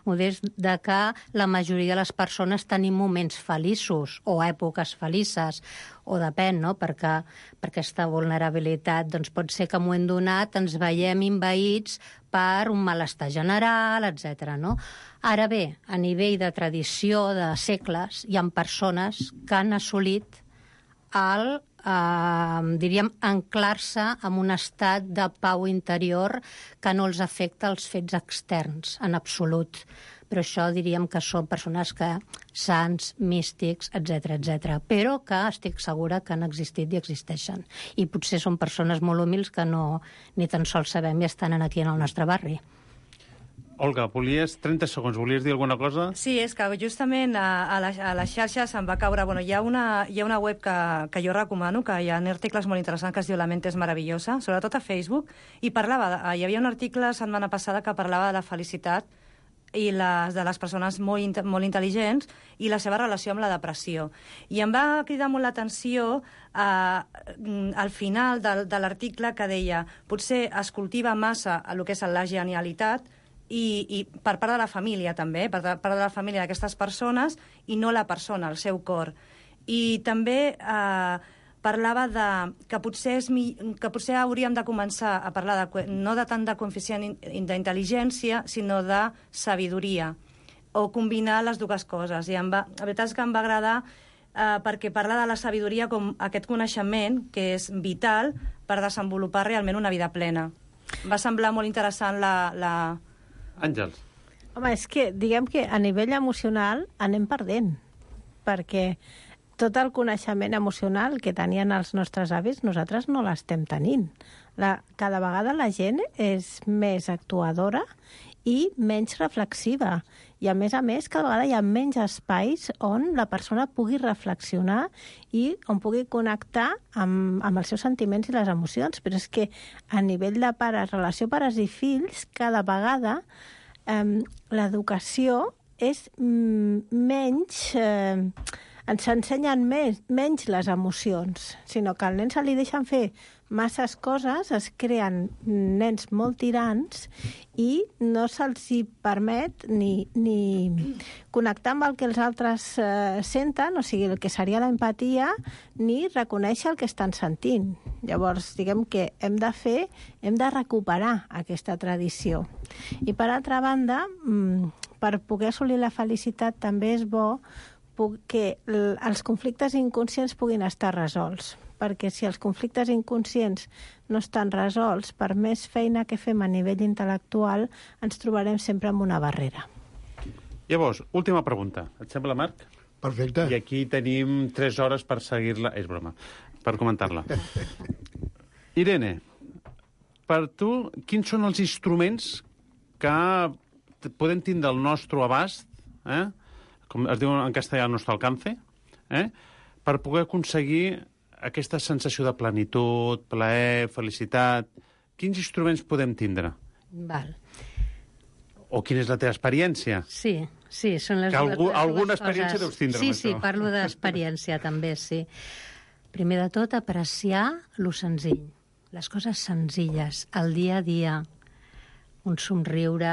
I: modest, de que la majoria de les persones tenim moments feliços o èpoques felices, o depèn, no?, perquè per aquesta vulnerabilitat doncs pot ser que en un moment donat ens veiem envaïts per un malestar general, etcètera, no? Ara bé, a nivell de tradició de segles, hi ha persones que han assolit el, eh, diríem, anclar-se en un estat de pau interior que no els afecta els fets externs, en absolut. Però això diríem que són persones que sants, místics, etcètera, etcètera, però que estic segura que han existit i existeixen. I potser són persones molt humils que no ni tan sols sabem i estan aquí en el nostre barri.
F: Olga, volies trenta segons, volies dir alguna cosa?
E: Sí, és que justament a, a, la, a les xarxes em va caure... Bueno, hi ha una, hi ha una web que, que jo recomano, que hi ha articles molt interessants que es diu La mente és meravellosa, sobretot a Facebook, i parlava... De, hi havia un article la setmana passada que parlava de la felicitat i les, de les persones molt, molt intel·ligents i la seva relació amb la depressió. I em va cridar molt l'atenció eh, al final de, de l'article que deia potser es cultiva massa el que és la genialitat i, i per part de la família també, per part de la família d'aquestes persones i no la persona, el seu cor. I també eh, parlava de que potser, és mi, que potser hauríem de començar a parlar de, no de tant de coeficient d'intel·ligència, sinó de sabidoria, o combinar les dues coses. I em va, la veritat és que em va agradar eh, perquè parla de la sabidoria com aquest coneixement que és vital per desenvolupar realment una vida plena. Em va semblar molt interessant la... la...
F: Àngels.
H: Home, és que, diguem que a nivell emocional anem perdent, perquè tot el coneixement emocional que tenien els nostres avis, nosaltres no l'estem tenint. La, cada vegada la gent és més actuadora i menys reflexiva. I, a més a més, cada vegada hi ha menys espais on la persona pugui reflexionar i on pugui connectar amb, amb els seus sentiments i les emocions. Però és que a nivell de pares, relació pares i fills, cada vegada eh, l'educació és mm, menys... Eh, ens ensenyen més, menys les emocions, sinó que al nen se li deixen fer masses coses, es creen nens molt tirants i no se'ls hi permet ni, ni connectar amb el que els altres eh, senten, o sigui, el que seria l'empatia, ni reconèixer el que estan sentint. Llavors, diguem que hem de fer, hem de recuperar aquesta tradició. I per altra banda, per poder assolir la felicitat també és bo que els conflictes inconscients puguin estar resolts, perquè si els conflictes inconscients no estan resolts, per més feina que fem a nivell intel·lectual, ens trobarem sempre amb una barrera.
F: Llavors, última pregunta. Et sembla, Marc?
D: Perfecte.
F: I aquí tenim tres hores per seguir-la... És broma, per comentar-la. Irene, per tu, quins són els instruments que podem tindre al nostre abast, eh? com es diu en castellà, al nostre alcance, eh? per poder aconseguir aquesta sensació de plenitud, plaer, felicitat... quins instruments podem tindre?
I: Val.
F: O quina és la teva experiència?
I: Sí, sí, són les
F: Que algú,
I: dues, les
F: alguna
I: dues
F: experiència
I: coses.
F: deus tindre
I: Sí,
F: amb
I: sí,
F: això.
I: parlo d'experiència també, sí. Primer de tot, apreciar lo senzill, les coses senzilles, el dia a dia, un somriure,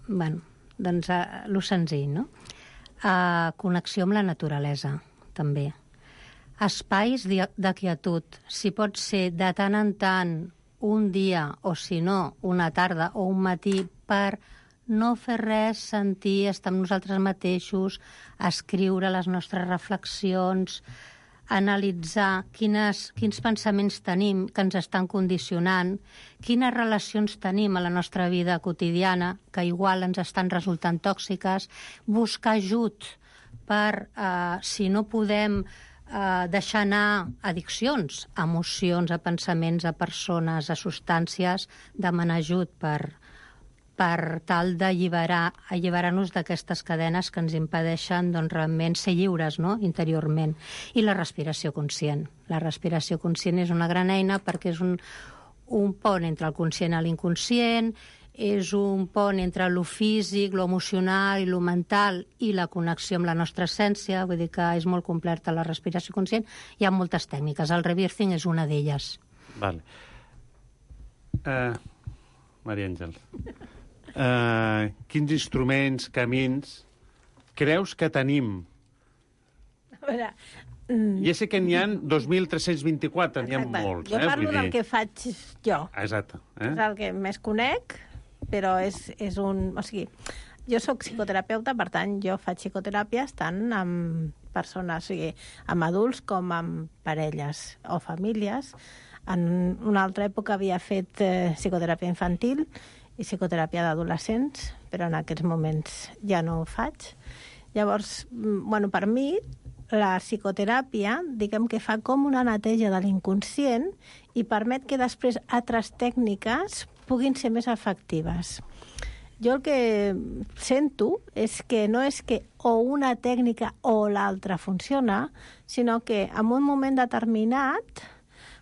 I: bueno, doncs uh, lo senzill, no? Uh, connexió amb la naturalesa, també. Espais de, de quietud, si pot ser de tant en tant un dia o, si no, una tarda o un matí per no fer res, sentir, estar amb nosaltres mateixos, escriure les nostres reflexions, analitzar quines, quins pensaments tenim que ens estan condicionant, quines relacions tenim a la nostra vida quotidiana que igual ens estan resultant tòxiques, buscar ajut per, eh, si no podem eh, deixar anar addiccions, a emocions, a pensaments, a persones, a substàncies, demanar ajut per, per tal d'alliberar alliberar-nos d'aquestes cadenes que ens impedeixen doncs, realment ser lliures, no?, interiorment. I la respiració conscient. La respiració conscient és una gran eina perquè és un, un pont entre el conscient i l'inconscient, és un pont entre lo físic, lo emocional i lo mental i la connexió amb la nostra essència, vull dir que és molt completa la respiració conscient. Hi ha moltes tècniques, el rebirthing és una d'elles.
F: Vale. Uh, Maria Àngel, uh, quins instruments, camins creus que tenim?
H: A veure...
F: Ja sé que n'hi ha dos mil tres-cents vint-i-quatre, n'hi ha molts.
H: Jo
F: eh?
H: parlo
F: Vull
H: del
F: dir...
H: que faig jo.
F: Exacte. Eh?
H: És el que més conec, però és, és un... O sigui, jo sóc psicoterapeuta, per tant, jo faig psicoteràpies tant amb persones, o sigui, amb adults com amb parelles o famílies. En una altra època havia fet eh, psicoteràpia infantil i psicoteràpia d'adolescents, però en aquests moments ja no ho faig. Llavors, bueno, per mi, la psicoteràpia, diguem que fa com una neteja de l'inconscient i permet que després altres tècniques puguin ser més efectives. Jo el que sento és que no és que o una tècnica o l'altra funciona, sinó que en un moment determinat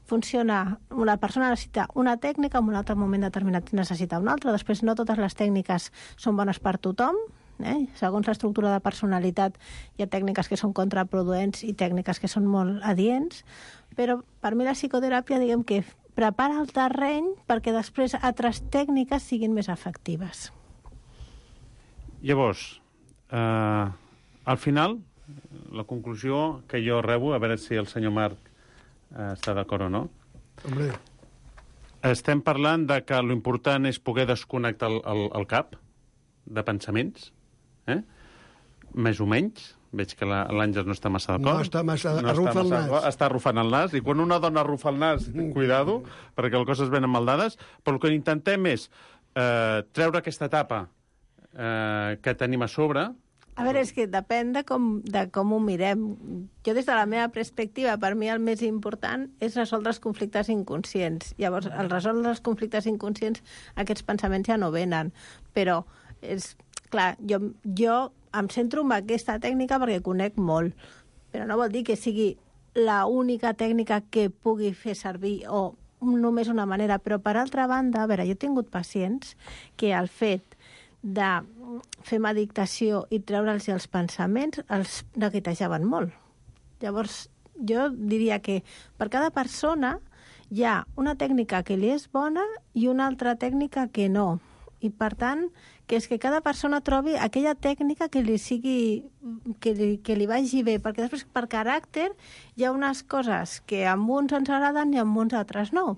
H: funciona, una persona necessita una tècnica, en un altre moment determinat necessita una altra. Després no totes les tècniques són bones per tothom, eh? Segons l'estructura de personalitat hi ha tècniques que són contraproduents i tècniques que són molt adients, però per mi la psicoteràpia, diguem que prepara el terreny perquè després altres tècniques siguin més efectives.
F: Llavors, eh, al final, la conclusió que jo rebo, a veure si el senyor Marc eh, està d'acord o no.
D: Hombre.
F: Estem parlant de que l'important és poder desconnectar el, el, el cap de pensaments, eh? Més o menys. Veig que l'Àngel no està massa d'acord.
D: No està massa...
F: No
D: arrufa el nas.
F: Està arrufant el nas. I quan una dona arrufa el nas, cuidado, perquè les coses venen mal dades. Però el que intentem és eh, treure aquesta etapa eh, que tenim a sobre.
H: A veure, és que depèn de com, de com ho mirem. Jo, des de la meva perspectiva, per mi el més important és resoldre els conflictes inconscients. Llavors, al resoldre els conflictes inconscients, aquests pensaments ja no venen. Però, és clar, jo, jo em centro en aquesta tècnica perquè conec molt, però no vol dir que sigui l'única tècnica que pugui fer servir o només una manera. Però, per altra banda, a veure, jo he tingut pacients que el fet de fer meditació i treure'ls els pensaments els neguitejaven molt. Llavors, jo diria que per cada persona hi ha una tècnica que li és bona i una altra tècnica que no. I, per tant, que és que cada persona trobi aquella tècnica que li sigui, que li, que li vagi bé, perquè després, per caràcter, hi ha unes coses que amb uns ens agraden i amb uns altres no.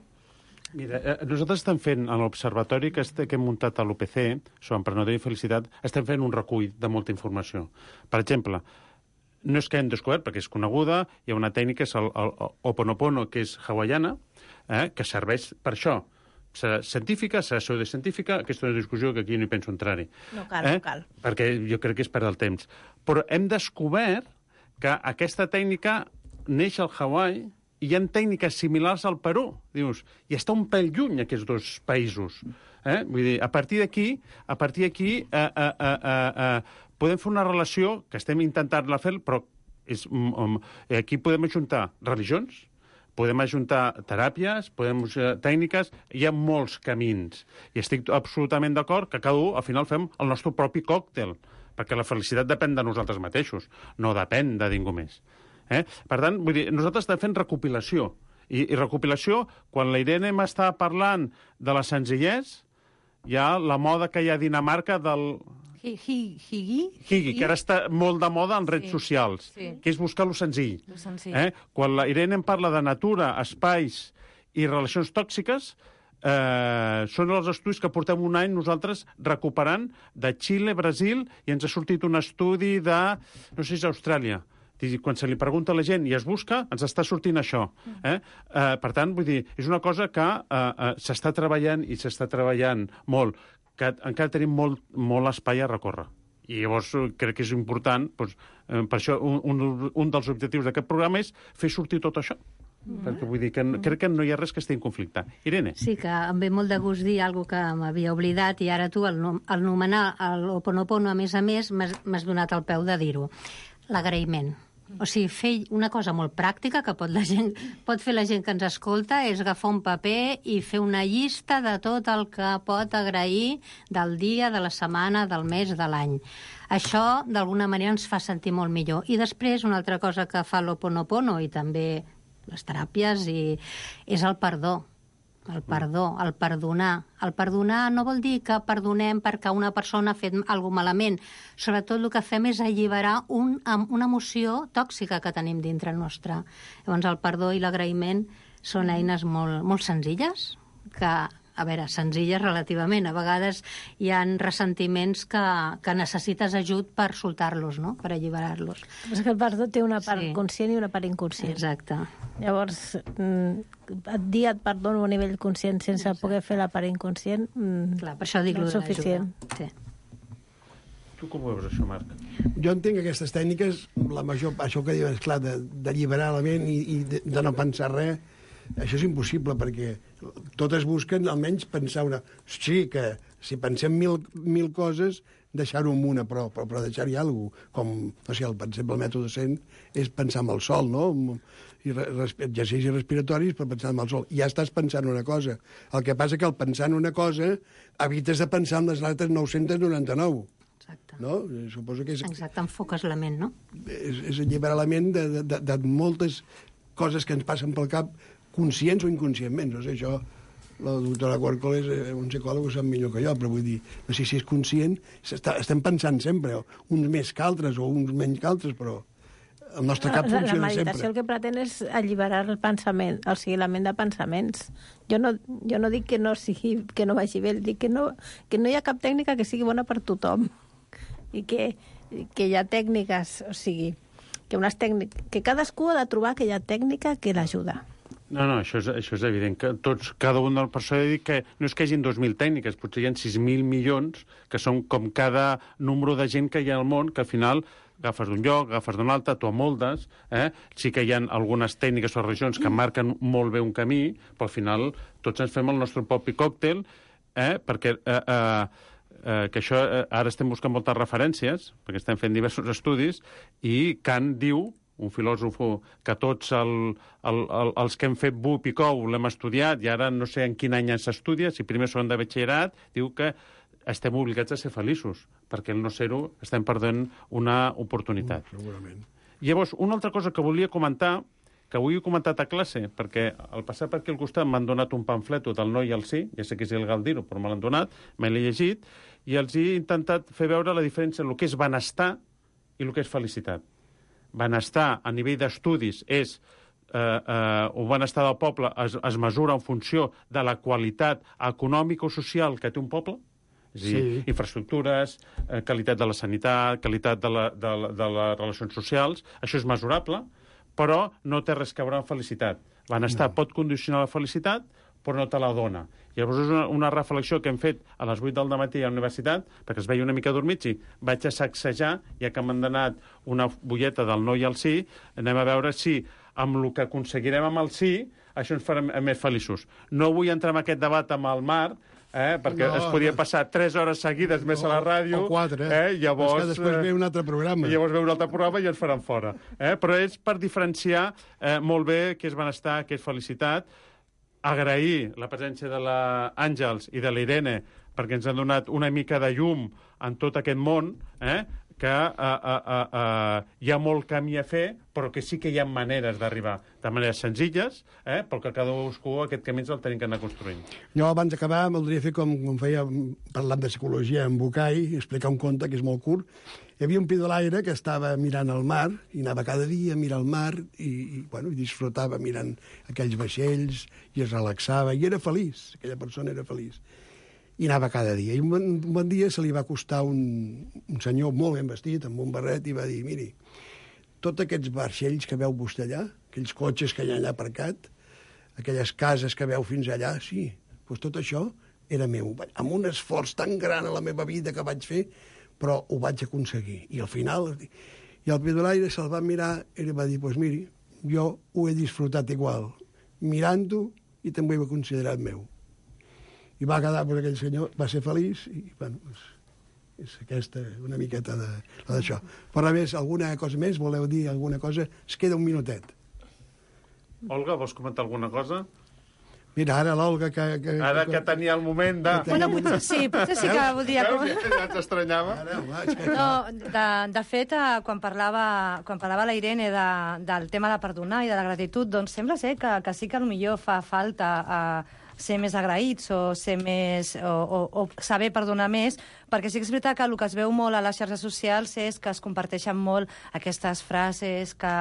F: Mira, eh, nosaltres estem fent, a l'observatori que, este, que hem muntat a l'U P C, sobre emprenedoria i felicitat, estem fent un recull de molta informació. Per exemple, no és que hem descobert, perquè és coneguda, hi ha una tècnica, és el, el, el Ho'oponopono, que és hawaiana, eh, que serveix per això. Serà científica, serà pseudocientífica, aquesta és una discussió que aquí no hi penso entrar-hi.
H: No cal,
F: eh?
H: no cal.
F: Perquè jo crec que és perdre el temps. Però hem descobert que aquesta tècnica neix al Hawaii i hi ha tècniques similars al Perú, dius, i està un pèl lluny aquests dos països. Eh? Vull dir, a partir d'aquí, a partir d'aquí eh, eh, eh, eh, eh, podem fer una relació, que estem intentant-la fer, però és, um, aquí podem ajuntar religions, podem ajuntar teràpies, podem ajuntar tècniques, hi ha molts camins. I estic absolutament d'acord que cada un, al final, fem el nostre propi còctel, perquè la felicitat depèn de nosaltres mateixos, no depèn de ningú més. Eh? Per tant, vull dir, nosaltres estem fent recopilació. I, i recopilació, quan la Irene m'està parlant de la senzillesa, hi ha la moda que hi ha a Dinamarca del...
E: Higi?
F: Higi, que ara està molt de moda en redes socials, que és buscar lo senzill.
E: Lo senzill.
F: Eh? Quan la Irene em parla de natura, espais i relacions tòxiques, eh, són els estudis que portem un any nosaltres recuperant de Xile, Brasil, i ens ha sortit un estudi de, no sé si és Austràlia. Quan se li pregunta a la gent i es busca, ens està sortint això. Eh? Eh, per tant, vull dir, és una cosa que eh, eh, s'està treballant i s'està treballant molt, que encara tenim molt, molt espai a recórrer. I llavors crec que és important, doncs, eh, per això un, un, un dels objectius d'aquest programa és fer sortir tot això. Mm. Perquè vull dir que mm. crec que no hi ha res que estigui en conflicte. Irene?
I: Sí, que em ve molt de gust dir alguna que m'havia oblidat i ara tu, al, al nomenar l'Ho'oponopono, a més a més, m'has donat el peu de dir-ho. L'agraïment. O sigui, fer una cosa molt pràctica que pot, la gent, pot fer la gent que ens escolta és agafar un paper i fer una llista de tot el que pot agrair del dia, de la setmana, del mes, de l'any. Això, d'alguna manera, ens fa sentir molt millor. I després, una altra cosa que fa l'Ho'oponopono i també les teràpies i, és el perdó. El perdó, el perdonar. El perdonar no vol dir que perdonem perquè una persona ha fet alguna malament. Sobretot el que fem és alliberar un, una emoció tòxica que tenim dintre nostre. Llavors el perdó i l'agraïment són eines molt, molt senzilles, que, a veure, senzilles relativament. A vegades hi ha ressentiments que, que necessites ajut per soltar-los, no? Per alliberar-los.
H: És que el perdó té una part sí. conscient i una part inconscient.
I: Exacte.
H: Llavors, et dir et perdono a nivell conscient sense Exacte. Poder fer la part inconscient
I: Clar, per això dic
H: no és suficient.
I: Sí.
F: Tu com ho veus, això, Marc?
D: Jo entenc aquestes tècniques, la major, això que diuen, esclar, d'alliberar la ment i, i de, de no pensar res, això és impossible, perquè totes busquen almenys pensar una... Sí, que si pensem mil, mil coses, deixar-ho en una, però, però, però deixar-hi alguna cosa. Com, no sé, el, per exemple, el mètode cent és pensar en el sol, no? I exercicis respiratoris per pensar en el sol. I ja estàs pensant una cosa. El que passa que al pensar en una cosa evites de pensar en les altres nou-cents noranta-nou.
I: Exacte.
D: No? Suposo que és...
I: Exacte, enfoques la ment, no?
D: És, és alliberar la ment de, de, de, de moltes coses que ens passen pel cap, conscients o inconscientment. No sé, això, la doctora Corcol és un psicòleg, ho sap millor que jo, però vull dir, no sé si és conscient, estem pensant sempre, uns més que altres o uns menys que altres, però el nostre cap funciona sempre.
H: La meditació el que pretén és alliberar el pensament, o sigui, la ment de pensaments. Jo no, jo no dic que no, sigui, que no vagi bé, dic que no, que no hi ha cap tècnica que sigui bona per tothom i que, que hi ha tècniques, o sigui, que, unes tècnic, que cadascú ha de trobar aquella tècnica que l'ajuda.
F: No, no, això és, això és evident, que tots, cada un del personal ha dit que no és que hi hagi dos mil tècniques, potser hi ha sis mil milions, que són com cada número de gent que hi ha al món, que al final agafes d'un lloc, agafes d'un altre, tu amoldes, eh? Sí que hi ha algunes tècniques o regions que marquen molt bé un camí, però al final tots ens fem el nostre propi còctel, eh? Perquè eh, eh, eh, que això, eh, ara estem buscant moltes referències, perquè estem fent diversos estudis, i Kant diu, un filòsof que tots el, el, el, els que hem fet B U P i C O U l'hem estudiat, i ara no sé en quin any s'estudia, si primer són de batxillerat, diu que estem obligats a ser feliços, perquè el no ser-ho estem perdent una oportunitat.
D: Mm, segurament.
F: Llavors, una altra cosa que volia comentar, que avui he comentat a classe, perquè al passar per aquí al costat m'han donat un pamfleto del no i el sí, ja sé que és il·legal dir-ho, però me l'han donat, me l'he llegit, i els he intentat fer veure la diferència en el que és benestar i el que és felicitat. Benestar a nivell d'estudis és eh, eh, un benestar del poble es, es mesura en funció de la qualitat econòmica o social que té un poble, és a dir, sí. infraestructures, eh, qualitat de la sanitat, qualitat de, la, de, la, de les relacions socials, això és mesurable, però no té res a veure amb felicitat. Benestar no. pot condicionar la felicitat, però no te la dona. Llavors és una, una reflexió que hem fet a les vuit del matí a la universitat, perquè es veia una mica dormits i vaig a sacsejar, ja que m'han donat una bulleta del no i el sí, anem a veure si amb el que aconseguirem amb el sí, això ens farà més feliços. No vull entrar en aquest debat amb el Marc, eh? perquè
D: No,
F: es podia
D: no.
F: passar tres hores seguides més a la ràdio.
D: O quatre.
F: Eh? Llavors,
D: És que després ve un altre programa.
F: I llavors ve un altre programa i ens faran fora. Eh? Però és per diferenciar eh, molt bé què és benestar, què és felicitat, agrair la presència de l'Àngels i de l'Irene perquè ens han donat una mica de llum en tot aquest món, eh? que uh, uh, uh, uh, hi ha molt camí a fer, però que sí que hi ha maneres d'arribar, de maneres senzilles, eh? però que cadascú aquest camí ens el tenim que anar construint.
D: Jo, abans d'acabar, voldria fer com, com feia parlant de psicologia en Bucay, explicar un conte que és molt curt. Hi havia un pidolaire que estava mirant el mar, i anava cada dia a mirar el mar, i, i, bueno, i disfrutava mirant aquells vaixells, i es relaxava, i era feliç, aquella persona era feliç. I anava cada dia. I un bon, un bon dia se li va acostar un, un senyor molt ben vestit, amb un barret, i va dir, miri, tots aquests vaixells que veu vostè allà, aquells cotxes que hi ha allà aparcat, aquelles cases que veu fins allà, sí, doncs tot això era meu. Amb un esforç tan gran a la meva vida que vaig fer, però ho vaig aconseguir. I al final... I el pidolaire se'l va mirar i li va dir, doncs miri, jo ho he disfrutat igual, mirant-ho, i també ho he considerat meu. I va quedar, doncs, aquell senyor va ser feliç i, bueno, és, és aquesta una miqueta de, d'això. Però, a més, alguna cosa més? Voleu dir alguna cosa? Es queda un minutet.
F: Olga, vols comentar alguna cosa?
D: Mira, ara l'Olga que... que
F: Ara que tenia el moment de...
E: Bueno, potser sí, potser sí que voldria...
F: Veus? Ja t'estranyava.
E: No, de, de fet, eh, quan parlava, quan parlava la Irene de, del tema de perdonar i de la gratitud, doncs sembla ser que, que sí que potser fa falta eh, ser més agraïts o ser més o, o, o saber perdonar més, perquè sí que és veritat que el que es veu molt a les xarxes socials és que es comparteixen molt aquestes frases que,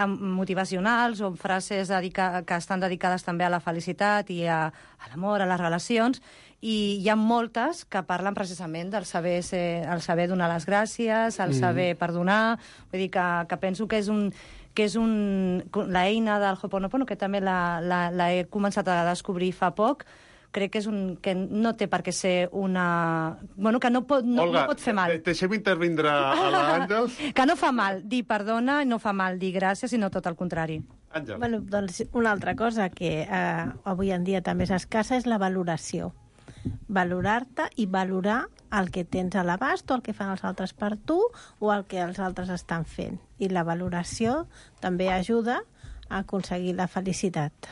E: motivacionals o frases dedica, que estan dedicades també a la felicitat i a, a l'amor, a les relacions, i hi ha moltes que parlen precisament del saber, ser, el saber donar les gràcies, el saber perdonar, vull dir que, que penso que és un que és un, l'eina del Ho'oponopono, que també la, la, la he començat a descobrir fa poc, crec que és un que no té per què ser una... Bueno, que no pot, no,
F: Olga,
E: no pot fer mal.
F: deixem intervindre a l'Àngels.
E: Que no fa mal dir perdona, no fa mal dir gràcies, sinó tot el contrari.
F: Àngels.
H: Bueno, doncs una altra cosa que eh, avui en dia també és escassa és la valoració. Valorar-te i valorar el que tens a l'abast o el que fan els altres per tu o el que els altres estan fent. I la valoració també ajuda a aconseguir la felicitat.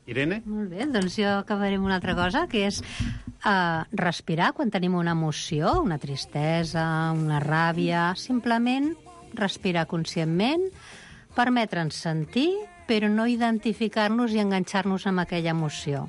F: Irene?
I: Molt bé, doncs jo acabaré amb una altra cosa, que és uh, respirar quan tenim una emoció, una tristesa, una ràbia, simplement respirar conscientment, permetre'ns sentir, però no identificar-nos i enganxar-nos amb aquella emoció.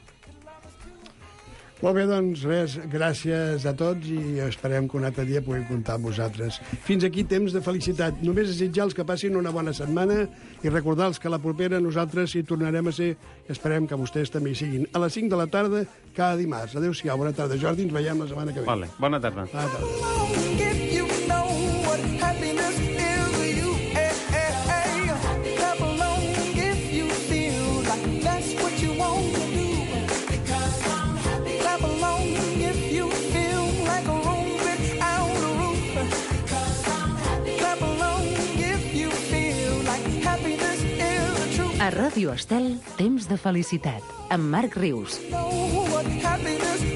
D: Molt bé, doncs res, gràcies a tots i esperem que un altre dia puguem comptar amb vosaltres. Fins aquí temps de felicitat. Només desitjar-los que passin una bona setmana i recordar-los que la propera nosaltres hi tornarem a ser i esperem que vostès també hi siguin. A les cinc de la tarda, cada dimarts. Adéu-siau, bona tarda. Jordi, ens veiem la setmana que ve.
F: Vale, bona tarda.
D: Bona tarda.
C: A Ràdio Estel, temps de felicitat, amb Marc Rius.
G: Know what happiness